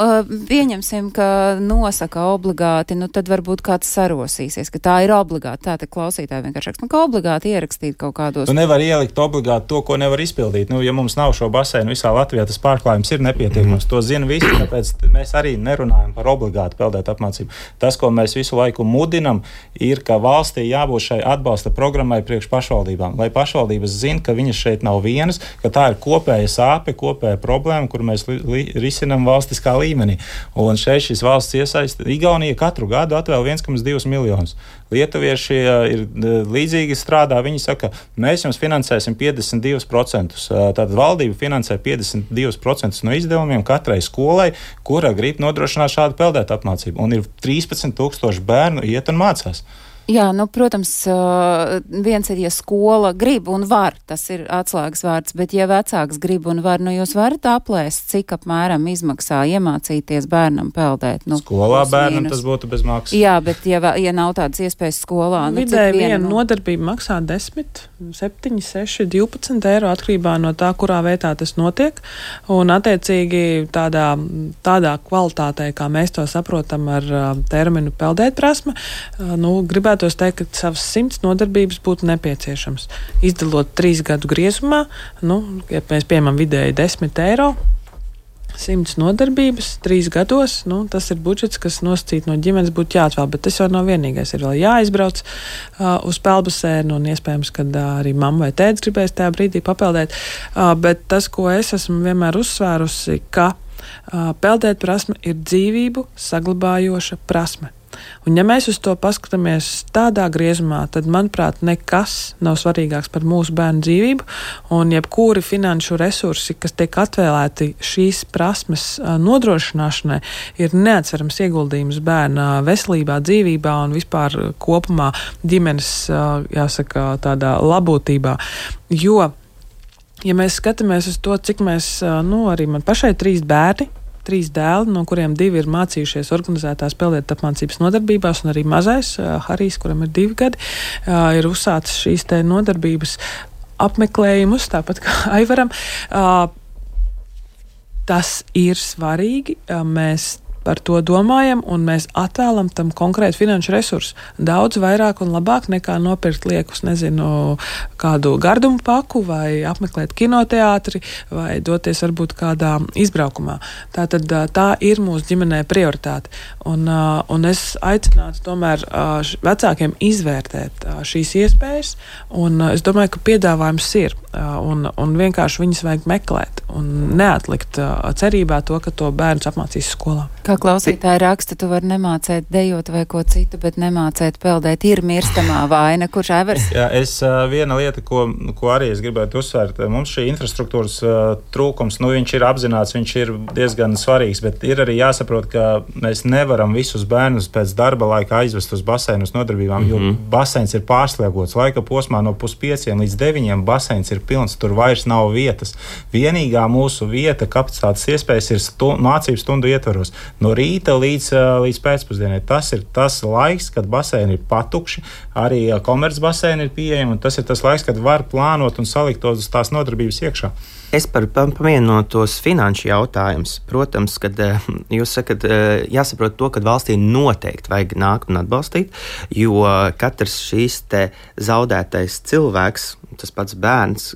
pieņemsim, ka nosaka obligāti, nu, tad varbūt kāds sarosīsies, ka tā ir obligāti. Tā te klausītāji vienkārši, nu, ka obligāti ierakstīt kaut kādos. Tu nevar ielikt obligāti to, ko nevar izpildīt. Nu, ja mums nav šo baseinu visā Latvijā, tas pārklājums ir nepietiekams. To zina visi, tāpēc mēs arī nerunājam par obligāti peldēt apmācību. Tas, ko mēs visu laiku mudinam, ir, ka valstī jābūt šai atbalsta programmai priekš pašvaldībām, lai pašvaldības zina, ka viņas šeit nav vienas, ka tā ir kopēja sāpe, kopēja problēma, kur mēs li, li, risinam valstiskā līmenī. Un šeit šis valsts iesaista. Igaunija katru gadu atvēl viens komats divi miljonus. Lietuvieši ir līdzīgi strādā. Viņi saka, mēs jums finansēsim piecdesmit divus procentus. Tātad valdība finansē piecdesmit divus procentus no izdevumiem katrai skolai, kura grib nodrošināt šādu peldēt apmācību. Un ir trīspadsmit tūkstoši bērnu iet un mācās. Jā, nu, protams, viens ir, ja skola grib un var, tas ir atslēgas vārds, bet ja vecāks grib un var, nu jūs varat aplēst, cik apmēram izmaksā iemācīties bērnam peldēt. Nu, skolā bērnam tas būtu bez maksas. Jā, bet ja, ja nav tādas iespējas skolā, nu, vidēji cik viena viena nodarbība maksā desmit, septiņi, seši, divpadsmit eiro atkarībā no tā, kurā vietā tas notiek, un attiecīgi tādā, tādā kvalitātē, kā mēs to saprotam ar terminu peldēt prasme, nu, gribētu tos teikt, ka savas simts nodarbības būtu nepieciešams. Izdalot trīs gadu griezumā, nu, ja mēs pieņemam vidēji desmit eiro, simts nodarbības, trīs gados, nu, tas ir budžets, kas nosacīt no ģimenes būtu jāatvēl, bet tas jau nav vienīgais. Ir vēl jāizbrauc uh, uz peldbasēnu un iespējams, kad uh, arī mamma vai tētis gribēs tajā brīdī papeldēt. Uh, bet tas, ko es esmu vienmēr uzsvērusi, ka uh, peldēt prasme ir dzīvību saglabājoša prasme. Un ja mēs uz to paskatāmies tādā griezumā, tad, manuprāt, nekas nav svarīgāks par mūsu bērnu dzīvību, un jebkuri finanšu resursi, kas tiek atvēlēti šīs prasmes nodrošināšanai, ir neatsverams ieguldījums bērna veselībā, dzīvībā un vispār kopumā ģimenes, jāsaka, tādā labotībā. Jo, ja mēs skatāmies uz to, cik mēs, nu, arī man pašai trīs bērni, trīs dēli, no kuriem divi ir mācījušies organizētās peldēt apmācības nodarbībās, un arī mazais, Harijs, kuram ir divi gadi, ir uzsācis šīs te nodarbības apmeklējumus, tāpat kā Aivaram. Tas ir svarīgi. Mēs par to domājam, un mēs atvēlam tam konkrētu finanšu resursu. Daudz vairāk un labāk nekā nopirkt liekus, nezinu, kādu gardumu paku vai apmeklēt kinoteātri vai doties varbūt kādā izbraukumā. Tātad tā ir mūsu ģimenē prioritāte. Un, un es aicinātu tomēr vecākiem izvērtēt šīs iespējas, un es domāju, ka piedāvājums ir, un, un vienkārši viņas vajag meklēt un neatlikt cerībā to, ka to bērns apmācīs skolā. Kā klausītāji raksta, tu vari nemācēt dejot vai ko citu, bet nemācēt peldēt. Ir mirstamā vaina. Kurš Aivars? Jā, es viena lieta, ko, ko arī es gribētu uzsvērt, mums šī infrastruktūras trūkums, nu viņš ir apzināts, viņš ir diezgan svarīgs, bet ir arī jāsaprot, ka mēs nevaram visus bērnus pēc darba laika aizvest uz baseinu uz nodarbībām, mm-hmm. jo baseins ir pārslēgots. Laika posmā no puspieciem līdz deviņiem baseins ir pilns, tur vairs nav vietas. Vienīgā mūsu vieta, kapacitātes iespējas ir stu, mācību stundu ietvaros. No rīta līdz, līdz pēcpusdienai. Tas ir tas laiks, kad baseini ir patukši, arī komercbaseini ir pieejami, un tas ir tas laiks, kad var plānot un salikt tos tās nodarbības iekšā. Es par pamienotos finanšu jautājumus. Protams, kad jūs sakat, jāsaprot to, ka valstī noteikti vajag nākt un atbalstīt, jo katrs šīs te zaudētais cilvēks, tas pats bērns,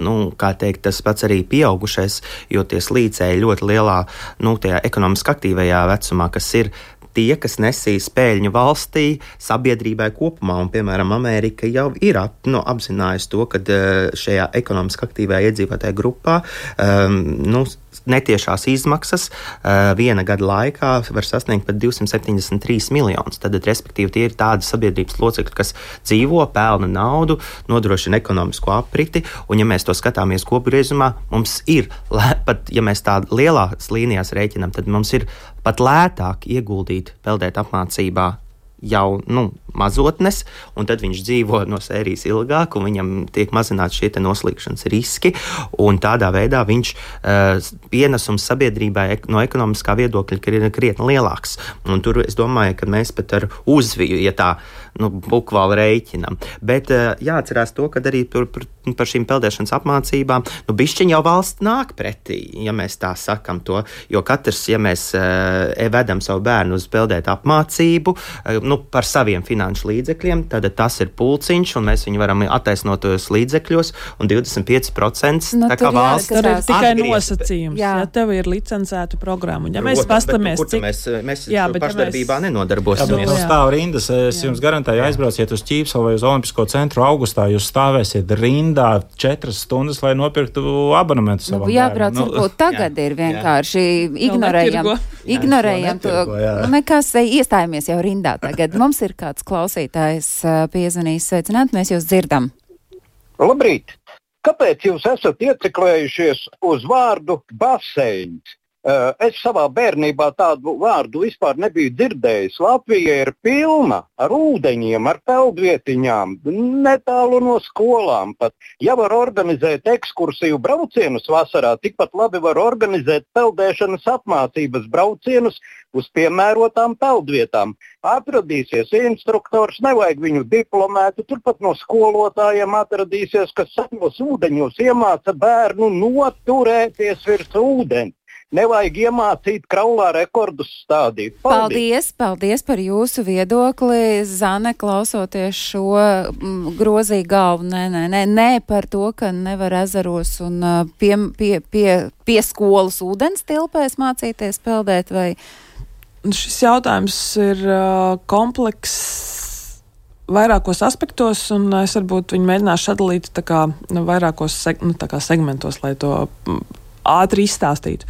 nu, kā teikt, tas pats arī pieaugušais, jo tie slīcēji ļoti lielā, nu, tajā ekonomiski aktīvajā vecumā, kas ir tie, kas nesīs peļņu valstī, sabiedrībai kopumā, un, piemēram, Amerika jau ir ap, nu, apzinājusi to, ka šajā ekonomiski aktīvajā iedzīvotāja grupā um, nu, netiešās izmaksas uh, viena gada laikā var sasniegt pat divsimt septiņdesmit trīs miljonus. Tad, respektīvi, tie ir tādi sabiedrības locekļi, kas dzīvo, pelna naudu, nodrošina ekonomisko apriti, un ja mēs to skatāmies kopgriezumā, mums ir, pat ja mēs tā lielās līnijās rēķinām, tad mums ir pat lētāk ieguldīt peldēt apmācībā jau, nu, mazotnes, un tad viņš dzīvo no sērijas ilgāk, un viņam tiek mazināti šie te noslīgšanas riski, un tādā veidā viņš uh, pienesums sabiedrībai no ekonomiskā viedokļa ir krietni lielāks. Un tur es domāju, ka mēs pat ar uzviju, ja tā, nu, bukvāli rēķinam. Bet uh, jāatcerās to, ka arī par, par, par šīm peldēšanas apmācībām, nu, bišķiņ jau valsts nāk pretī, ja mēs tā sakam to, jo katrs, ja mēs uh, vedam savu bērnu uz peldēt apmācību, uh, nu, par saviem finanšu līdzekļiem, tad tas ir pulciņš, un mēs viņu varam attaisnot tos līdzekļos, un divdesmit pieci procenti nu, tā kā valsts tur ir tikai atgriez, nosacījums, jā. ja tev ir licencēta programma. Ja Protams, mēs pastamies, cik... Mēs, mēs jā, pašdarbībā ja mēs... nenodarbosimies. Jā, bet stāv rindas, es jā. jums garantēju, aizbrauciet uz Ķīpseli vai uz Olimpisko centru augustā, jūs stāvēsiet rindā četras stundas, lai nopirktu abonementu savam nu, jābrauc, bērnam. varbūt tagad jā. ir vienkārši jā. ignorējam, ignorējam to, netirgo, nu, nekas, iestājamies jau rindā tagad. Mums ir kāds klausītājs piezvanījis, sveicināt, mēs jūs dzirdam. Labrīt! Kāpēc jūs esat ieciklējušies uz vārdu baseins? Es savā bērnībā tādu vārdu vispār nebiju dzirdējis. Latvija ir pilna ar ūdeņiem, ar peldvietiņām, netālu no skolām pat. Ja var organizēt ekskursiju braucienus vasarā, tikpat labi var organizēt peldēšanas apmācības braucienus uz piemērotām peldvietām. Atradīsies instruktors, nevajag viņu diplomētu, turpat no skolotājiem atradīsies, kas savos ūdeņos iemāca bērnu noturēties virs ūdeni. Nevajag iemācīt kraulā rekordus stādīt. Paldies, paldies par jūsu viedokli. Zane, klausoties šo m, grozīja galvu, nē, nē, nē, nē par to, ka nevar ezeros un pie, pie, pie, pie skolas ūdens tilpēs mācīties peldēt, vai? Šis jautājums ir uh, komplekss vairākos aspektos, un es varbūt viņu mēģināšu sadalīt tā kā vairākos seg, nu, tā kā segmentos, lai to ātri izstāstītu.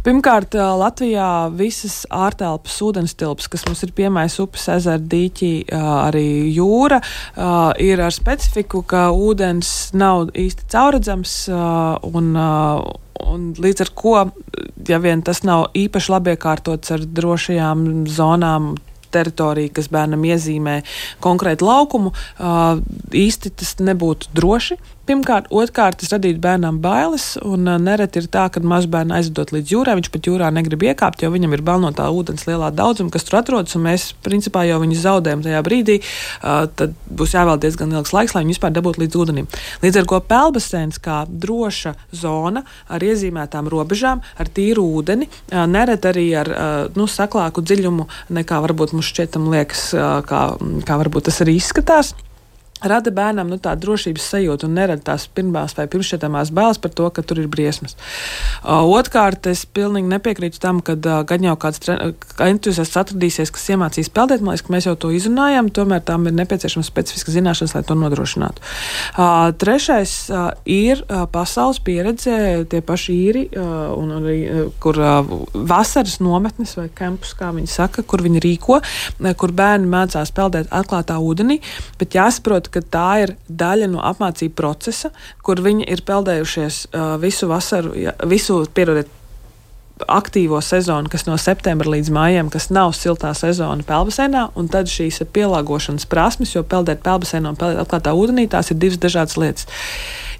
Pirmkārt, Latvijā visas ārtelpas ūdens tilpas, kas mums ir Piemais upes, ezera, dīķi, arī jūra, ir ar specifiku, ka ūdens nav īsti caurredzams, un, un līdz ar ko, ja vien tas nav īpaši labi iekārtots ar drošajām zonām, teritorija, kas bērnam iezīmē konkrētu laukumu, īsti tas nebūtu droši. Pirmkārt, otrkārt, tas radītu bērnam bailes, un nereti ir tā, ka mazbērnu aizvedot līdz jūrā, viņš pat jūrā negrib iekāpt, jo viņam ir bail no tā ūdens lielā daudzuma, kas tur atrodas, un mēs principā jau viņu zaudējam tajā brīdī, tad būs jāvēl diezgan ilgs laiks, lai viņi vispār dabūtu līdz ūdenim. Līdz ar ko peldbaseins kā droša zona ar iezīmētām robežām, ar tīru ūdeni, nereti arī ar nu, saklāku dziļumu, nekā varbūt mums šķietam liekas, kā, kā varbūt tas arī izskatās. Rada bērnam nu, tādu drošības sajūtu un nerada tās pirmās vai pirmšķietamās bailes par to, ka tur ir briesmas. Uh, Otkārt, es pilnīgi nepiekrītu tam, ka uh, gan jau kāds entuziasts atradīsies, kas iemācīs peldēt, man liekas, ka mēs jau to izrunājam, tomēr tām ir nepieciešams specifiskas zināšanas, lai to nodrošinātu. Uh, trešais uh, ir uh, pasaules pieredze, tie paši īri, uh, un arī, uh, kur uh, vasaras nometnes vai kampus, kā viņi saka, kur viņi rīko, uh, kur bērni mācās peldēt atklātā ūdenī, bet jāsaprot, ka tā ir daļa no apmācību procesa, kur viņi ir peldējušies uh, visu vasaru, ja, visu, pierodiet, aktīvo sezonu, kas no septembra līdz mājiem, kas nav siltā sezona peldbaseinā, un tad šīs pielāgošanas prasmes, jo peldēt peldbaseinā un peldēt atklātā ūdenī, tās ir divas dažādas lietas.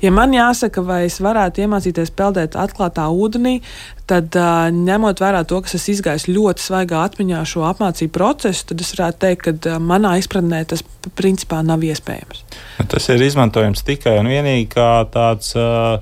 Ja man jāsaka, vai es varētu iemācīties peldēt atklātā ūdenī, tad uh, ņemot vērā to, kas es izgāju ļoti svaigā atmiņā šo apmācību procesu, tad es varētu teikt, ka uh, manā izpratnē tas principā nav iespējams. Tas ir izmantojams tikai un vienīgi kā tāds uh,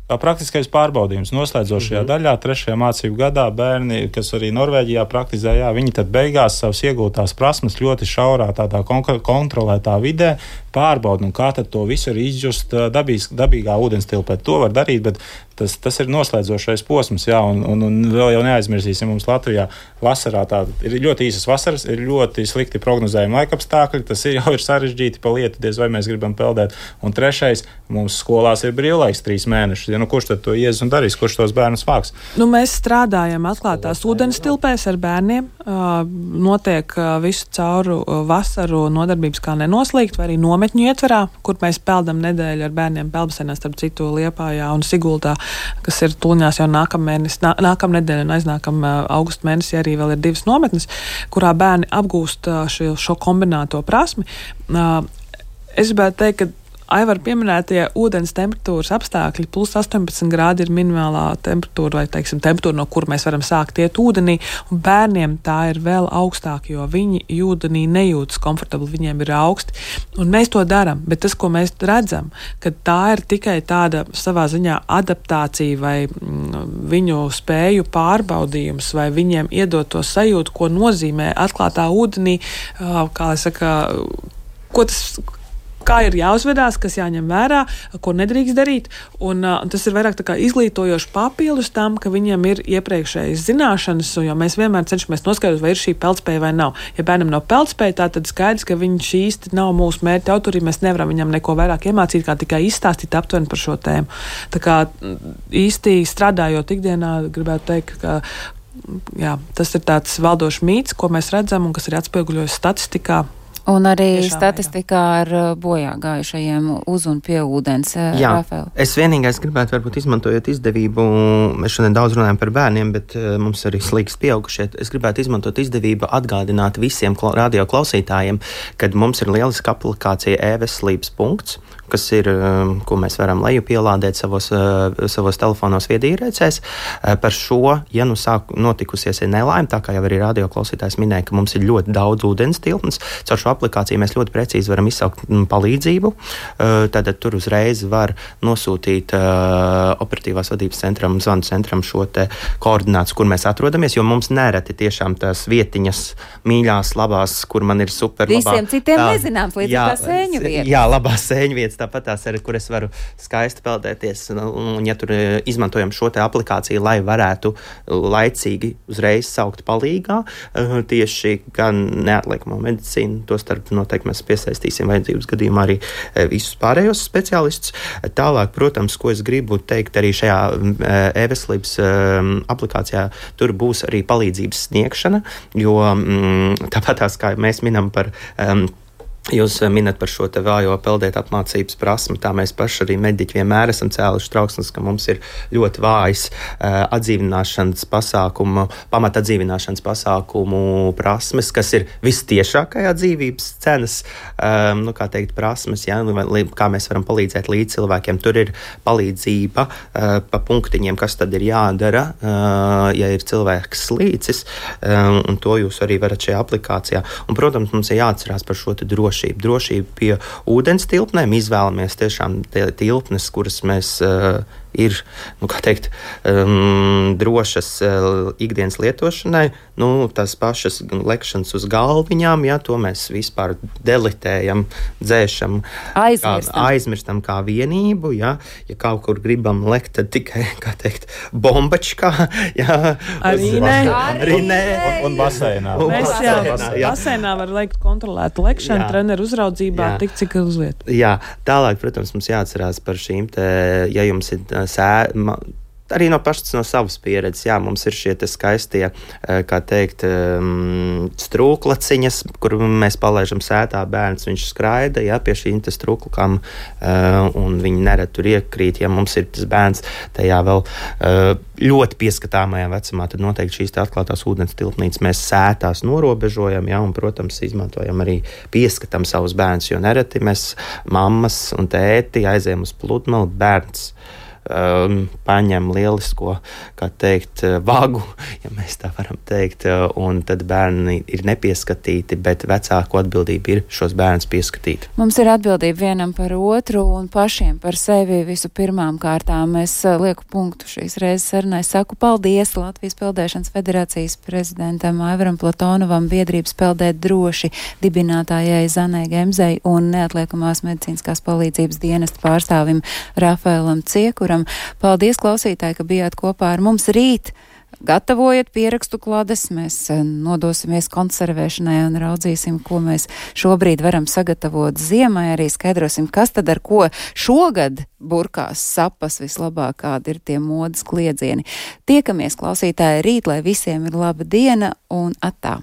kā praktiskais pārbaudījums. Noslēdzošajā mm-hmm. daļā, trešajā mācību gadā bērni, kas arī Norvēģijā praktizē, jā, viņi tad beigās savas iegūtās prasmes ļoti šaurā, tādā kontrolētā vidē pārbauda, un kā tad to visu ir izjust dabīs, dabīgā ūdenstilpē. To var darīt, bet tas, tas ir noslēdzošais posms, jā, un, un, un vēl jau neaizmirsīsim, mums Latvijā vasarā tā ir ļoti īsas vasaras, ir ļoti slikti prognozējumi laikapstākļi, tas ir jau ir sarežģīti pa lietu, diez vai mēs gribam peldēt. Un trešais, mums skolās ir brīvlaiks trīs mēnešus, ja nu kurš tad to ies un darīs, kurš tos bērnus vāks? Nu, mēs strādājam atklātās ūdenstilpēs ar bērniem, notiek visu cauru vasaru nodarbības kā nenoslīgt, vai arī nometņu ietverā, kur mēs peldam nedēļu ar bērniem peldbasenā, starp citu Liepājā un Sigultā, kas ir tuliņās jau nākamēnes, nā, nākamnedēļ un aiznākam augustu mēnesī arī vēl ir divas nometnes, kurā bērni apgūst šo, šo kombinēto prasmi. Es gribētu teikt, ka Aivar pieminētie ūdens temperatūras apstākļi, plus astoņpadsmit grādi ir minimālā temperatūra, vai, teiksim, temperatūra, no kur mēs varam sākt iet ūdenī, un bērniem tā ir vēl augstāk, jo viņi ūdenī nejūtas komfortabli, viņiem ir augsti, un mēs to daram, bet tas, ko mēs redzam, ka tā ir tikai tāda savā ziņā adaptācija vai mm, viņu spēju pārbaudījums, vai viņiem iedot to sajūtu, ko nozīmē atklātā ūdenī, kā lai saka, ko tas kā ir jāuzvedās, kas jāņem vērā, ko nedrīkst darīt. Un, uh, tas ir vairāk tā kā izglītojoši papildus tam, ka viņam ir iepriekšējas zināšanas, jo mēs vienmēr cenšamies noskaidrot, vai ir šī peldspēja vai nav. Ja bērnam nav peldspēja, tā tad skaidrs, ka viņš īsti nav mūsu mērķa autori, mēs nevaram viņam neko vairāk iemācīt, kā tikai izstāstīt aptuveni par šo tēmu. Tā kā īsti strādājot ikdienā, gribētu teikt, ka jā, tas ir tāds valdošs mīts, ko mēs redzam un kas ir atspoguļojas statistikā. Un arī Tiešām, statistikā ar bojā gājušajiem uz un pie ūdens. Jā, Rafēl. Es vienīgais gribētu, varbūt izmantojot izdevību, mēs šodien daudz runājam par bērniem, bet mums arī slīgs pieaugušie. Es gribētu izmantot izdevību atgādināt visiem radio klausītājiem, kad mums ir lieliska aplikācija e-veselības punkts, kas ir, ko mēs varam leju pielādēt savos, savos telefonos viedierēcēs. Par šo, ja nu sāk notikusies ir nelaime, tā kā jau arī radio klausītājs minēja, ka mums ir ļoti daudz ūdens tilpnes, caur šo aplikāciju mēs ļoti precīzi varam izsaukt palīdzību. Tātad tur uzreiz var nosūtīt operatīvās vadības centram, zvanu centram šo te koordinātus, kur mēs atrodamies, jo mums nereti tiešām tās vietiņas mīļās, labās, kur man ir super labā. Visiem citiem tā, nezināms, līdz jā, tā sēņu vietas. Jā, labās sēņu vietas. Tāpat tās arī, kur es varu skaisti peldēties, un, un ja tur izmantojam šo te aplikāciju, lai varētu laicīgi uzreiz saukt palīgā, tieši gan neatliekamo medicīnu, to starp noteikti mēs piesaistīsim vajadzības gadījumā arī visus pārējos speciālistus. Tālāk, protams, ko es gribu teikt arī šajā e-veselības aplikācijā, tur būs arī palīdzības sniegšana, jo tāpat tās, kā mēs minam par um, Jūs minat par šo te vājo peldēt apmācības prasmi, tā mēs paši arī mediķi vienmēr esam cēluši trauksmes, ka mums ir ļoti vājas uh, atdzīvināšanas pasākumu, pamat atdzīvināšanas pasākumu prasmes, kas ir vistiešākajā dzīvības cenas, um, nu kā teikt, prasmes, ja, kā mēs varam palīdzēt līdz cilvēkiem. Tur ir palīdzība uh, pa punktiņiem, kas tad ir jādara, uh, ja ir cilvēks slīcis, um, un to jūs arī varat šajā aplikācijā. Un, protams, mums ir jāatcerās par šo te drošību. Drošība pie ūdens tilpnēm. Izvēlamies tiešām tilpnes, kuras mēs uh, ir, nu, kā teikt, um, drošas uh, ikdienas lietošanai. Nu, tās pašas lekšanas uz galviņām, ja, to mēs vispār delitējam, dzēšam, aizmirstam kā, aizmirstam kā vienību, ja. Ja kaut kur gribam lekt, tad tikai, kā teikt, bombačkā, ja. Arī nē. Arī nē. Un, un baseinā. Mēs jau baseinā var lekt kontrolētu lekšanu, treneru uzraudzībā, jā. tik cik uz vietu. Jā, tālāk, protams, mums jāatcerās par šīm te, ja jums ir sē, ma, arī no pašas no savas pieredzes, jā, mums ir šie te skaistie, kā teikt, strūklaciņas, kur mēs palaižam sētā bērns, viņš skraida, jā, pie šīm te strūklukām, un viņi nerad tur iekrīt, ja mums ir tas bērns tajā vēl ļoti pieskatāmajā vecumā, tad noteikti šīs te atklātās ūdens tilpnītes mēs sētās norobežojam, jā, un, protams, izmantojam arī pieskatam savus bērnus, jo nereti mēs mammas un tēti aizējam uz pludmali, bērns um, paņem lielisko, kā teikt, vagu, ja mēs tā varam teikt, un tad bērni ir nepieskatīti, bet vecāku atbildība ir šos bērnus pieskatīt. Mums ir atbildība vienam par otru un pašiem par sevi visu pirmām kārtām. Es lieku punktu šīs reizes sarunai. Saku paldies Latvijas Peldēšanas federācijas prezidentam Aivaram Platonovam, biedrības Peldēt droši dibinātājai Zanai Gemzei un neatliekamās medicīniskās palīdzības dienesta pārstāvim Rafaelam Ciekuram. Paldies, klausītāji, ka bijāt kopā ar mums rīt. Gatavojiet pierakstu klades, mēs nodosimies konservēšanai un raudzīsim, ko mēs šobrīd varam sagatavot ziemai, arī skaidrosim, kas tad ar ko šogad burkās sapas vislabāk, kādi ir tie modes kliedzieni. Tiekamies, klausītāji, rīt, lai visiem ir laba diena un atā!